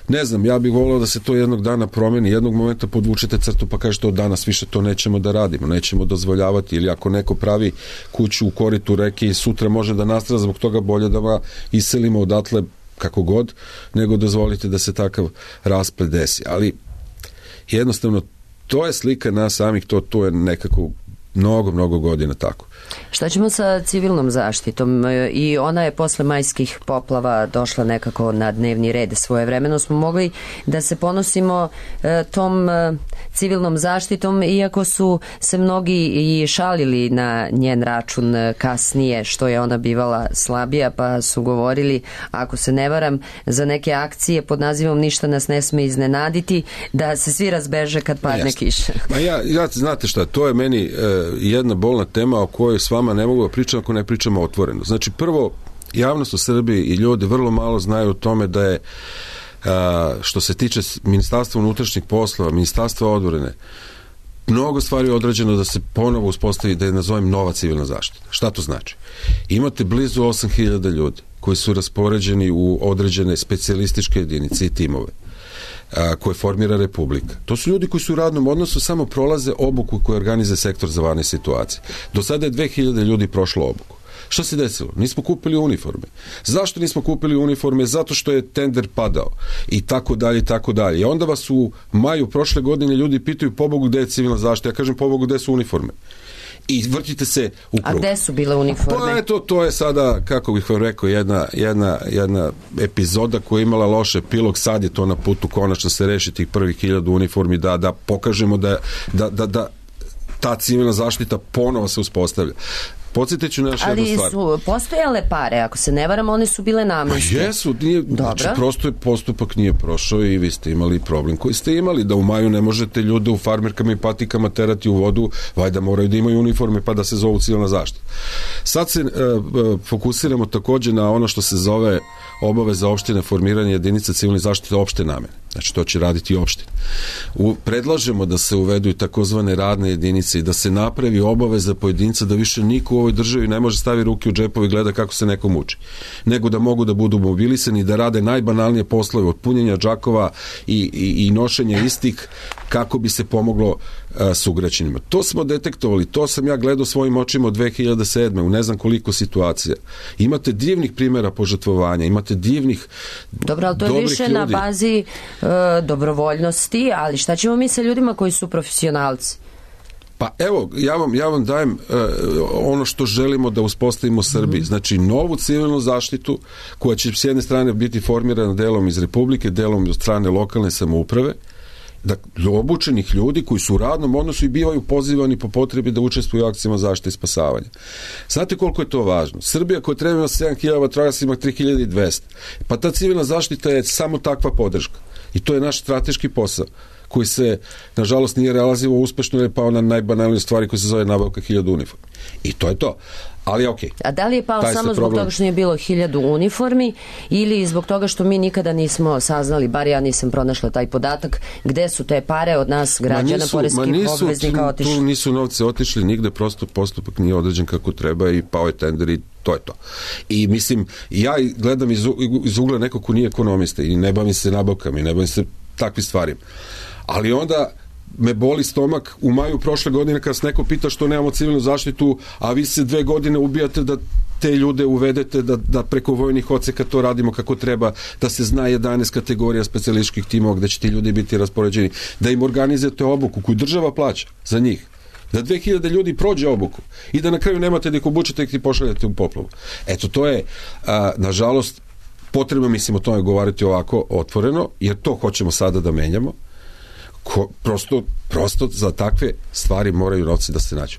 Ne znam, ja bih volao da se to jednog dana promeni, jednog momenta podvučete crtu pa kažete od danas više to nećemo da radimo, nećemo dozvoljavati, ili ako neko pravi kuću u koritu reke i sutra može da nastrada zbog toga, bolje da ga iselimo odatle kako god, nego dozvolite da se takav rasplet desi. Ali jednostavno to je slika nas samih, to, to je nekako mnogo, mnogo godina tako. Šta ćemo sa civilnom zaštitom? I ona je posle majskih poplava došla nekako na dnevni red. Svojevremeno smo mogli da se ponosimo e, tom e, civilnom zaštitom, iako su se mnogi i šalili na njen račun kasnije, što je ona bivala slabija, pa su govorili, ako se ne varam, za neke akcije pod nazivom Ništa nas ne sme iznenaditi, da se svi razbeže kad padne Jasne. kiša. Ma ja, ja, znate šta, to je meni e, jedna bolna tema o kojoj s vama ne mogu da pričam ako ne pričamo otvoreno. Znači, prvo, javnost u Srbiji i ljudi vrlo malo znaju o tome da je, a, što se tiče Ministarstva unutrašnjih poslova, Ministarstva odbrane, mnogo stvari je odrađeno da se ponovo uspostavi, da je nazovem nova civilna zaštita. Šta to znači? Imate blizu osam hiljada ljudi koji su raspoređeni u određene specijalističke jedinice i timove a, koje formira Republika. To su ljudi koji su u radnom odnosu, samo prolaze obuku koju organizuje sektor za vanredne situacije. Do sada je dve hiljade ljudi prošlo obuku. Šta se desilo? Nismo kupili uniforme. Zašto nismo kupili uniforme? Zato što je tender padao i tako dalje i tako dalje. I onda vas u maju prošle godine ljudi pitaju, pobogu gde je civilna zaštita? Ja kažem, pobogu gde su uniforme? I vrtite se u krug. A gde su bile uniforme? Pa eto, to je sada, kako bih vam rekao, jedna, jedna, jedna epizoda koja je imala loš epilog, sad je to na putu konačno se reši tih prvih hiljadu uniformi, da, da pokažemo da, da, da, da ta civilna zaštita ponovo se uspostavlja. Podsjetit ću na još jednu stvar. Ali su postojale pare, ako se ne varam, one su bile namenske. Pa jesu, nije, znači prosto je postupak nije prošao i vi ste imali problem koji ste imali, da u maju ne možete ljude u farmerkama i patikama terati u vodu, valjda moraju da imaju uniforme pa da se zovu civilna zaštita. Sad se e, fokusiramo takođe na ono što se zove obaveza opštine formiranja jedinica civilne zaštite opšte namene. Znači to će raditi opština. U, predlažemo da se uvedu i takozvane radne jedinice i da se napravi obaveza pojedinca da više niko u ovoj državi ne može stavi ruke u džepove i gleda kako se neko muči. Nego da mogu da budu mobilisani i da rade najbanalnije poslove od punjenja džakova i, i, i nošenja istih kako bi se pomoglo a, sugrađanima. To smo detektovali, to sam ja gledao svojim očima od dve hiljade sedme u ne znam koliko situacija. Imate divnih primjera požrtvovanja, imate divnih Dobro, ali to je više ljudi na bazi e, dobrovoljnosti, ali šta ćemo mi sa ljudima koji su profesionalci? Pa evo, ja vam, ja vam dajem uh, ono što želimo da uspostavimo u Srbiji. Mm-hmm. Znači, novu civilnu zaštitu koja će s jedne strane biti formirana delom iz Republike, delom od strane lokalne samouprave, da obučenih ljudi koji su u radnom odnosu i bivaju pozivani po potrebi da učestvuju u akcijama zaštite i spasavanja. Znate koliko je to važno? Srbija koja treba ima sedam hiljada vatrogasaca ima tri hiljade dvesta. Pa ta civilna zaštita je samo takva podrška. I to je naš strateški posao koji se, nažalost, nije realizovao uspešno, jer je pao na najbanalnije stvari koji se zove nabavka hiljadu uniformi. I to je to. Ali okej. Okay. A da li je pao samo zbog problem toga što nije bilo hiljadu uniformi ili zbog toga što mi nikada nismo saznali, bar ja nisam pronašla taj podatak, gde su te pare od nas građana, poreskih obveznika otišli? Tu nisu novce otišli nigde, prosto postupak nije određen kako treba i pao je tender i to je to. I mislim, ja gledam iz, iz ugla nekog ko nije ekonomista i ne bavim se nabavkama i ne bavim se takvim stvarima. Ali onda me boli stomak u maju prošle godine kad se neko pita što nemamo civilnu zaštitu, a vi se dve godine ubijate da te ljude uvedete, da, da preko vojnih odseka to radimo kako treba, da se zna jedanaest kategorija specijalističkih timova gde će ti ljudi biti raspoređeni, da im organizujete obuku koju država plaća za njih, da dve hiljade ljudi prođe obuku i da na kraju nemate da ih obučete i ih pošaljete u poplavu. Eto, to je, a, nažalost, potrebno, mislim, o tome govoriti ovako otvoreno, jer to hoćemo sada da menjamo. Ko, prosto, prosto za takve stvari moraju novci da se nađu.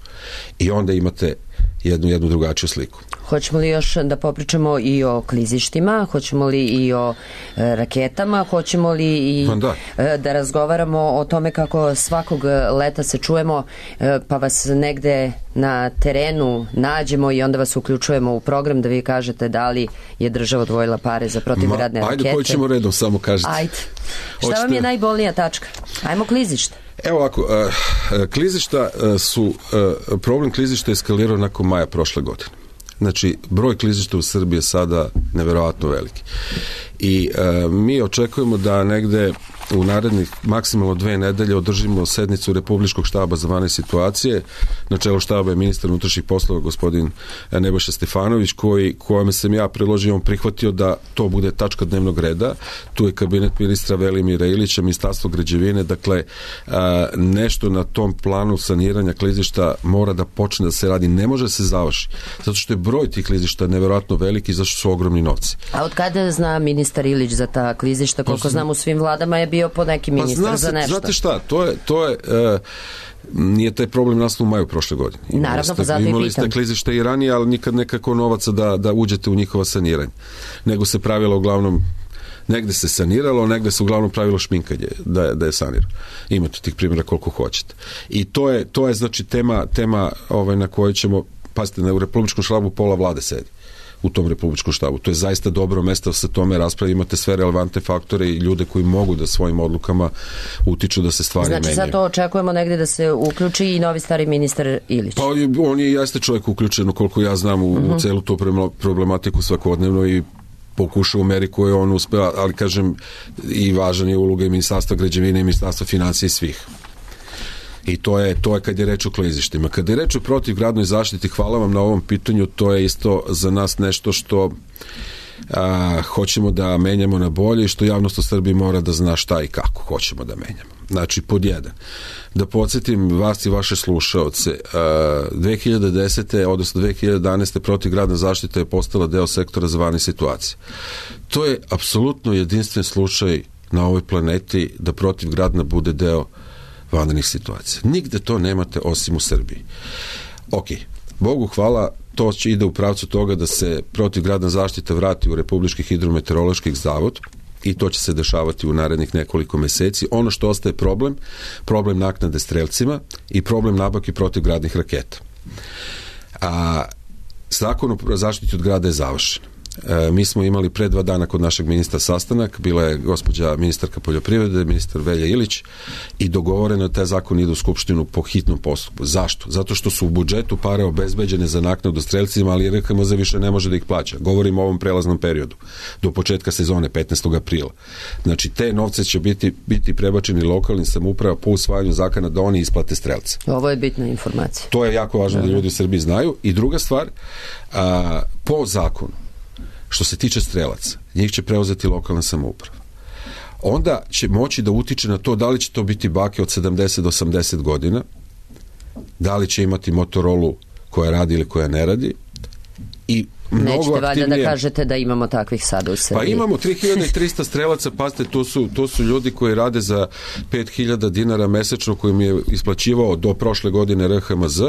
I onda imate jednu, jednu drugačiju sliku. Hoćemo li još da popričamo i o klizištima, hoćemo li i o e, raketama, hoćemo li i da. E, da razgovaramo o tome kako svakog leta se čujemo, e, pa vas negde na terenu nađemo i onda vas uključujemo u program da vi kažete da li je država odvojila pare za protivgradne Ma, rakete. Ajde, koji ćemo redom, samo kažete. Ajde. Šta Hoćete... vam je najbolnija tačka? Ajmo klizište. Evo ovako, uh, klizišta uh, su, uh, problem klizišta je eskalirao nakon maja prošle godine. Znači, broj klizišta u Srbiji je sada neverovatno veliki. I uh, mi očekujemo da negde u narednih maksimalno dve nedelje održimo sednicu Republičkog štaba za vanredne situacije. Na čelu štaba je ministar unutrašnjih poslova gospodin Nebojša Stefanović, koji, kojome sam ja predložio, on prihvatio da to bude tačka dnevnog reda. Tu je kabinet ministra Velimira Ilića, ministarstvo građevine, dakle a, nešto na tom planu saniranja klizišta mora da počne da se radi, ne može da se završi, zato što je broj tih klizišta neverovatno veliki i zato što su ogromni novci. A od kada zna ministar Ilić za ta klizišta? Koliko znam, u svim vladama je bio po neki ministar pa, za nešto. Znate šta, to je, to je uh, nije taj problem nastao u maju prošle godine. Imali Naravno, ste, pa zato i imali pitam. ste klizište i ranije, ali nikad nekako novaca da, da uđete u njihova saniranje. Nego se pravilo uglavnom, negde se saniralo, negde se uglavnom pravilo šminkanje da je, da je sanirano. Imate tih primjera koliko hoćete. I to je, to je znači tema, tema ovaj, na kojoj ćemo, pazite, na u Republičkom štabu pola vlade sedi u tom Republičkom štabu. To je zaista dobro mesto da se tome raspravi, imate sve relevantne faktore i ljude koji mogu da svojim odlukama utiču da se stvari znači, menjaju. Znači, zato očekujemo negde da se uključi i novi stari ministar Ilić. Pa on je jeste čovjek uključen, koliko ja znam, u, uh-huh. u celu tu problematiku svakodnevno i pokuša u meri koju on uspeva, ali kažem, i važan je uloga i ministarstva građevine i ministarstva financija i svih. I to je, to je kad je reč o klizištima. Kad je reč o protivgradnoj zaštiti, hvala vam na ovom pitanju, to je isto za nas nešto što a, hoćemo da menjamo na bolje i što javnost u Srbiji mora da zna šta i kako hoćemo da menjamo. Znači, pod jedan, da podsjetim vas i vaše slušaoce, a, dve hiljade desete odnosno dve hiljade jedanaeste protivgradna zaštita je postala deo sektora za vanredne situacije. To je apsolutno jedinstven slučaj na ovoj planeti da protivgradna bude deo vanrednih situacija. Nigde to nemate osim u Srbiji. Ok, Bogu hvala, to će ide u pravcu toga da se protivgradna zaštita vrati u Republički hidrometeorološki zavod i to će se dešavati u narednih nekoliko meseci. Ono što ostaje problem, problem naknade strelcima i problem nabavke protivgradnih raketa. A zakon o zaštiti od grada je završen. E, mi smo imali pre dva dana kod našeg ministra sastanak, bila je gospođa ministarka poljoprivrede, ministar Velja Ilić, i dogovoreno da taj zakon ide u Skupštinu po hitnom postupku. Zašto? Zato što su u budžetu pare obezbeđene za naknadu strelcima, ali R H M Z više ne može da ih plaća. Govorimo o ovom prelaznom periodu, do početka sezone, petnaestog aprila. Znači, te novce će biti, biti prebačeni lokalnim samouprava po usvajanju zakona da oni isplate strelce. Ovo je bitna informacija. To je jako važno da ljudi u Srbiji znaju. I druga stvar, a, po zakonu, što se tiče strelaca, njih će preuzeti lokalna samouprava. Onda će moći da utiče na to da li će to biti bake od sedamdeset do osamdeset godina, da li će imati Motorolu koja radi ili koja ne radi, i mnogo nećete valjda aktivnije... da kažete da imamo takvih sada u Srbiji. Pa imamo tri hiljade trista strelaca, pazite, to su, to su ljudi koji rade za pet hiljada dinara mesečno koji mi je isplaćivao do prošle godine R H M Z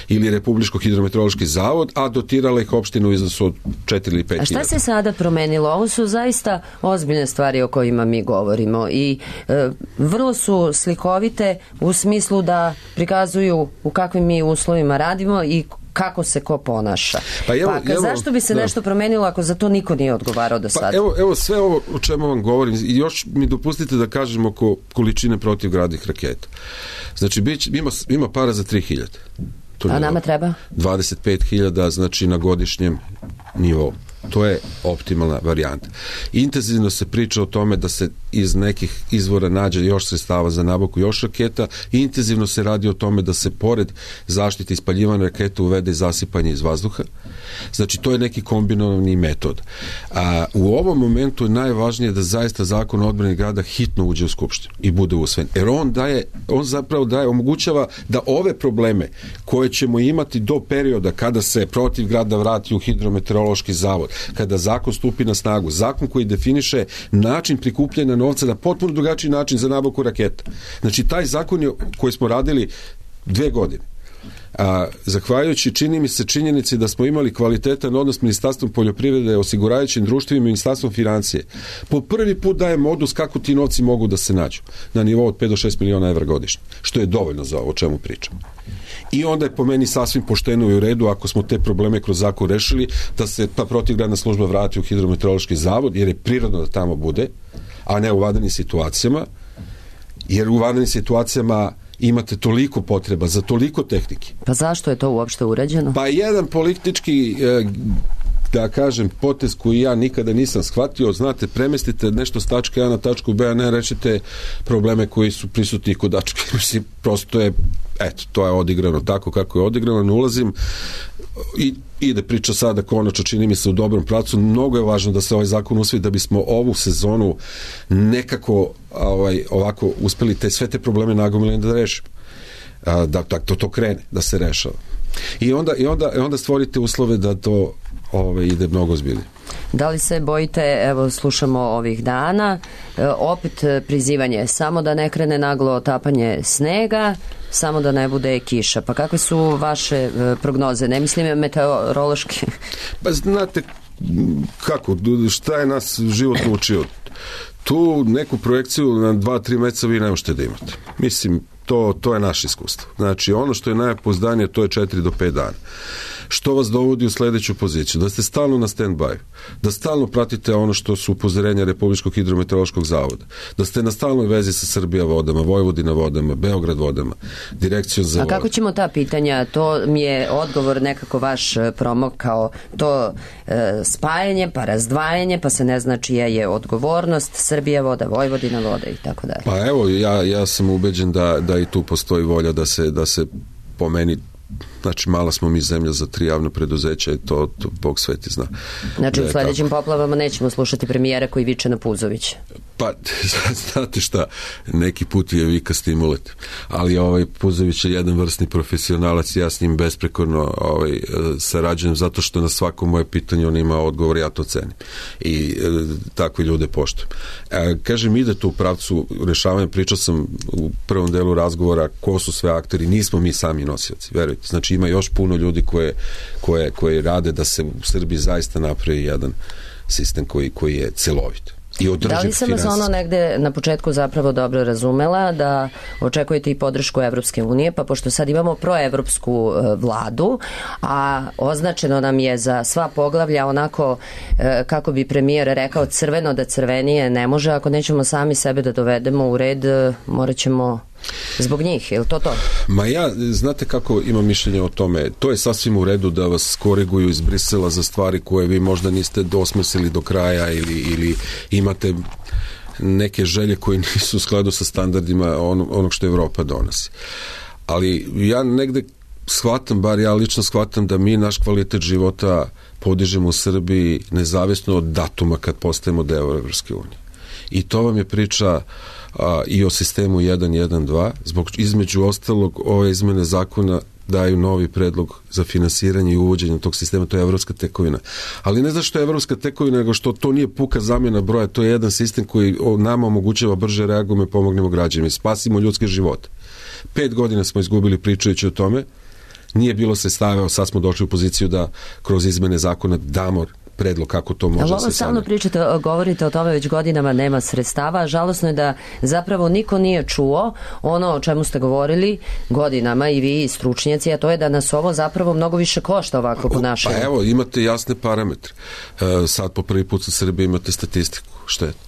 ili Republičko hidrometeorološki zavod, a dotirala ih opštinu u iznosu od četiri ili pet hiljada. A šta se sada promenilo? Ovo su zaista ozbiljne stvari o kojima mi govorimo i e, vrlo su slikovite u smislu da prikazuju u kakvim mi uslovima radimo i kako se ko ponaša. Pa, evo, pa evo, zašto bi se da. nešto promenilo ako za to niko nije odgovarao do sada? Pa evo, evo sve ovo o čemu vam govorim i još mi dopustite da kažem oko količine protivgradnih raketa. Znači, bić, ima, ima para za tri hiljade. A nama treba? dvadeset pet hiljada, znači na godišnjem nivou. To je optimalna varijanta. Intenzivno se priča o tome da se iz nekih izvora nađe još sredstava za nabavku još raketa i intenzivno se radi o tome da se pored zaštite ispaljivanja raketa uvede zasipanje iz vazduha. Znači, to je neki kombinovani metod. A, u ovom momentu je najvažnije da zaista zakon o odbrani grada hitno uđe u Skupštinu i bude usvojen. Jer on daje, on zapravo daje, omogućava da ove probleme koje ćemo imati do perioda kada se protiv grada vrati u hidrometeorološki zavod, kada zakon stupi na snagu, zakon koji definiše način prikupljanja novca na potpuno drugačiji način za nabavku raketa. Znači, taj zakon je, koji smo radili dve godine, A, zahvaljujući čini mi se činjenici da smo imali kvalitetan odnos s Ministarstvom poljoprivrede, osiguravajućim društvima i Ministarstvom financije. Po prvi put daje modus kako ti novci mogu da se nađu na nivou od pet do šest miliona evra godišnje, što je dovoljno za ovo o čemu pričam. I onda je po meni sasvim pošteno i u redu, ako smo te probleme kroz zakon rešili, da se ta protivgradna služba vrati u Hidrometeorološki zavod, jer je prirodno da tamo bude, a ne u vanrednim situacijama, jer u vanrednim situacijama imate toliko potreba za toliko tehnike. Pa zašto je to uopšte urađeno? Pa jedan politički, da kažem, potez koji ja nikada nisam shvatio, znate, premestite nešto s tačke A na tačku B, a ne rečite probleme koji su prisutni kod tačke. Mislim, prosto je, eto, to je odigrano tako kako je odigrano, ne ulazim i ide priča sada konačno, čini mi se, u dobrom pravcu. Mnogo je važno da se ovaj zakon usvoji da bismo ovu sezonu nekako ovaj, ovako uspeli te, sve te probleme nagomilene da rešimo. Da, da to, to krene, da se rešava. I onda, i onda, i onda stvorite uslove da to ovaj, ide mnogo ozbiljnije. Da li se bojite, evo slušamo ovih dana, e, opet prizivanje, samo da ne krene naglo otapanje snega, samo da ne bude kiša. Pa kakve su vaše e, prognoze? Ne mislim meteorološki. Pa znate kako, šta je nas život naučio? Tu neku projekciju na dva, tri meseca vi ne možete da imate. Mislim, to, to je naše iskustvo. Znači, ono što je najpouzdanije, to je četiri do pet dana. Što vas dovodi u sledeću poziciju? Da ste stalno na stand-by, da stalno pratite ono što su upozorenja Republičkog hidrometeorološkog zavoda, da ste na stalnoj vezi sa Srbija vodama, Vojvodina vodama, Beograd vodama, Direkcijom za vode. A kako ćemo ta pitanja? To mi je odgovor nekako vaš promokao, to e, spajanje, pa razdvajanje, pa se ne zna čija je odgovornost, Srbija voda, Vojvodina voda i tako dalje. Pa evo, ja, ja sam ubeđen da, da i tu postoji volja da se, da se po meni, znači mala smo mi zemlja za tri javna preduzeća i to, to Bog sveti zna. Znači u sledećim poplavama nećemo slušati premijera koji viče na Puzović. Pa, znate šta, neki put je vika stimulet, ali ovaj Puzović je jedan vrstni profesionalac, ja s njim besprekorno ovaj, sarađujem zato što na svako moje pitanje on ima odgovor, ja to cenim i e, takve ljude poštujem. E, kažem, ide tu u pravcu rešavanja, pričao sam u prvom delu razgovora ko su sve akteri, nismo mi sami nosioci, verujte, znači ima još puno ljudi koje, koje, koje rade da se u Srbiji zaista napravi jedan sistem koji, koji je celovit. Da li sam vas ono negde na početku zapravo dobro razumela da očekujete i podršku Evropske unije, pa pošto sad imamo proevropsku vladu, a označeno nam je za sva poglavlja onako, kako bi premijer rekao, crveno da crvenije ne može, ako nećemo sami sebe da dovedemo u red, morat ćemo zbog njih, je li to to? Ma ja, znate kako imam mišljenje o tome, to je sasvim u redu da vas koriguju iz Brisela za stvari koje vi možda niste dosmislili do kraja ili, ili imate neke želje koje nisu u skladu sa standardima onog, onog što Evropa donosi. Ali ja negde shvatam, bar ja lično shvatam da mi naš kvalitet života podižemo u Srbiji nezavisno od datuma kad postajemo deo Evropske unije. I to vam je priča a, i o sistemu jedan jedan dva, zbog između ostalog ove izmene zakona daju novi predlog za finansiranje i uvođenje tog sistema, to je evropska tekovina. Ali ne zašto je evropska tekovina, nego što to nije puka zamjena broja, to je jedan sistem koji nama omogućava brže reagujemo i pomognemo građanima, spasimo ljudske živote. Pet godina smo izgubili pričajući o tome, nije bilo se stavio, sad smo došli u poziciju da kroz izmene zakona damo predlog kako to može da se stalno sanje. Pričate, govorite o tome već godinama, nema sredstava. Žalosno je da zapravo niko nije čuo ono o čemu ste govorili godinama i vi stručnjaci, a to je da nas ovo zapravo mnogo više košta ovako ponašanje. Pa evo, imate jasne parametre. Sad po prvi put u Srbiji imate statistiku šteta.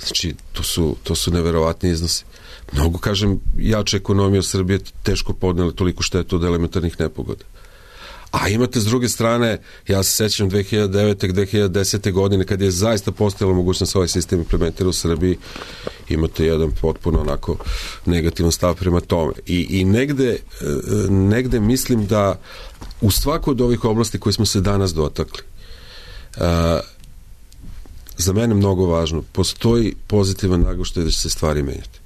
Znači, to su, to su neverovatni iznosi. Mnogo, kažem, jače ekonomije u Srbiji teško podnele toliko štetu od elementarnih nepogoda. A imate s druge strane, ja se sećam dve hiljade devete. dve hiljade desete. godine kad je zaista postojala mogućnost ovaj sistem implementira u Srbiji, imate jedan potpuno onako negativan stav prema tome. I, i negde, negde mislim da u svakoj od ovih oblasti koje smo se danas dotakli, uh, za mene mnogo važno, postoji pozitivan naglaštaj da će se stvari menjati.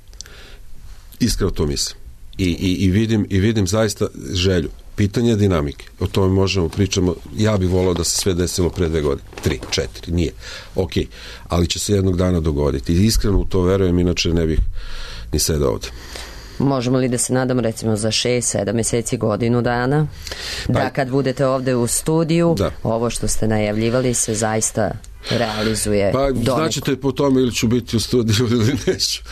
Iskreno to mislim. I, i, i, vidim, i vidim zaista želju. Pitanje dinamike, o tome možemo pričamo, ja bih volao da se sve desilo pre dve godine, tri, četiri, nije, ok, ali će se jednog dana dogoditi i iskreno u to verujem, inače ne bih ni sedao ovde. Možemo li da se nadamo recimo za šest, sedam meseci, godinu dana, pa, da kad budete ovde u studiju, da. Ovo što ste najavljivali se zaista realizuje? Pa doneko. Značite po tome ili ću biti u studiju ili neću.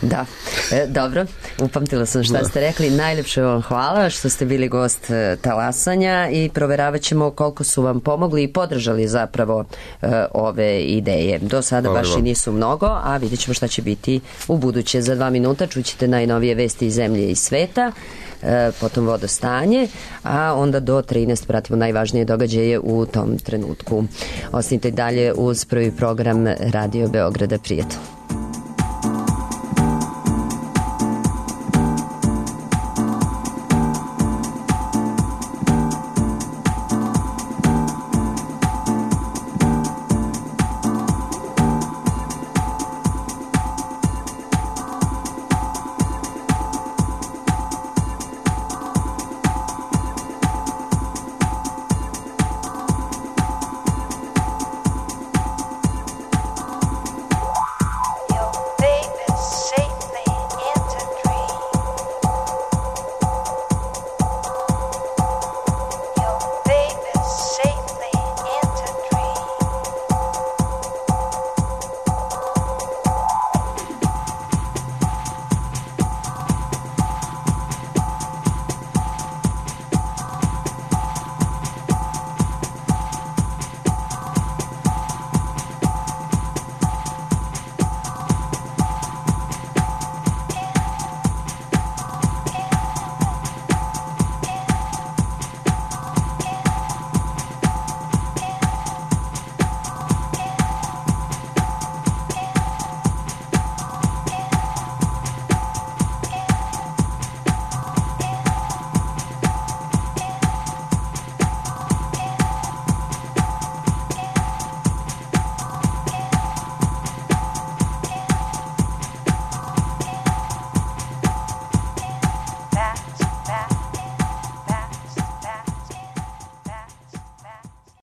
Da, e, dobro, upamtila sam šta da. ste rekli. Najlepše vam hvala što ste bili gost e, Talasanja i proveravat ćemo koliko su vam pomogli i podržali zapravo e, ove ideje. Do sada hvala baš vam. I nisu mnogo, a vidjet ćemo šta će biti u buduće. Za dva minuta čućete najnovije vesti iz zemlje i sveta, e, potom vodostanje, a onda do trinaest pratimo najvažnije događaje u tom trenutku. Ostanite dalje uz prvi program Radio Beograda. Prijatno.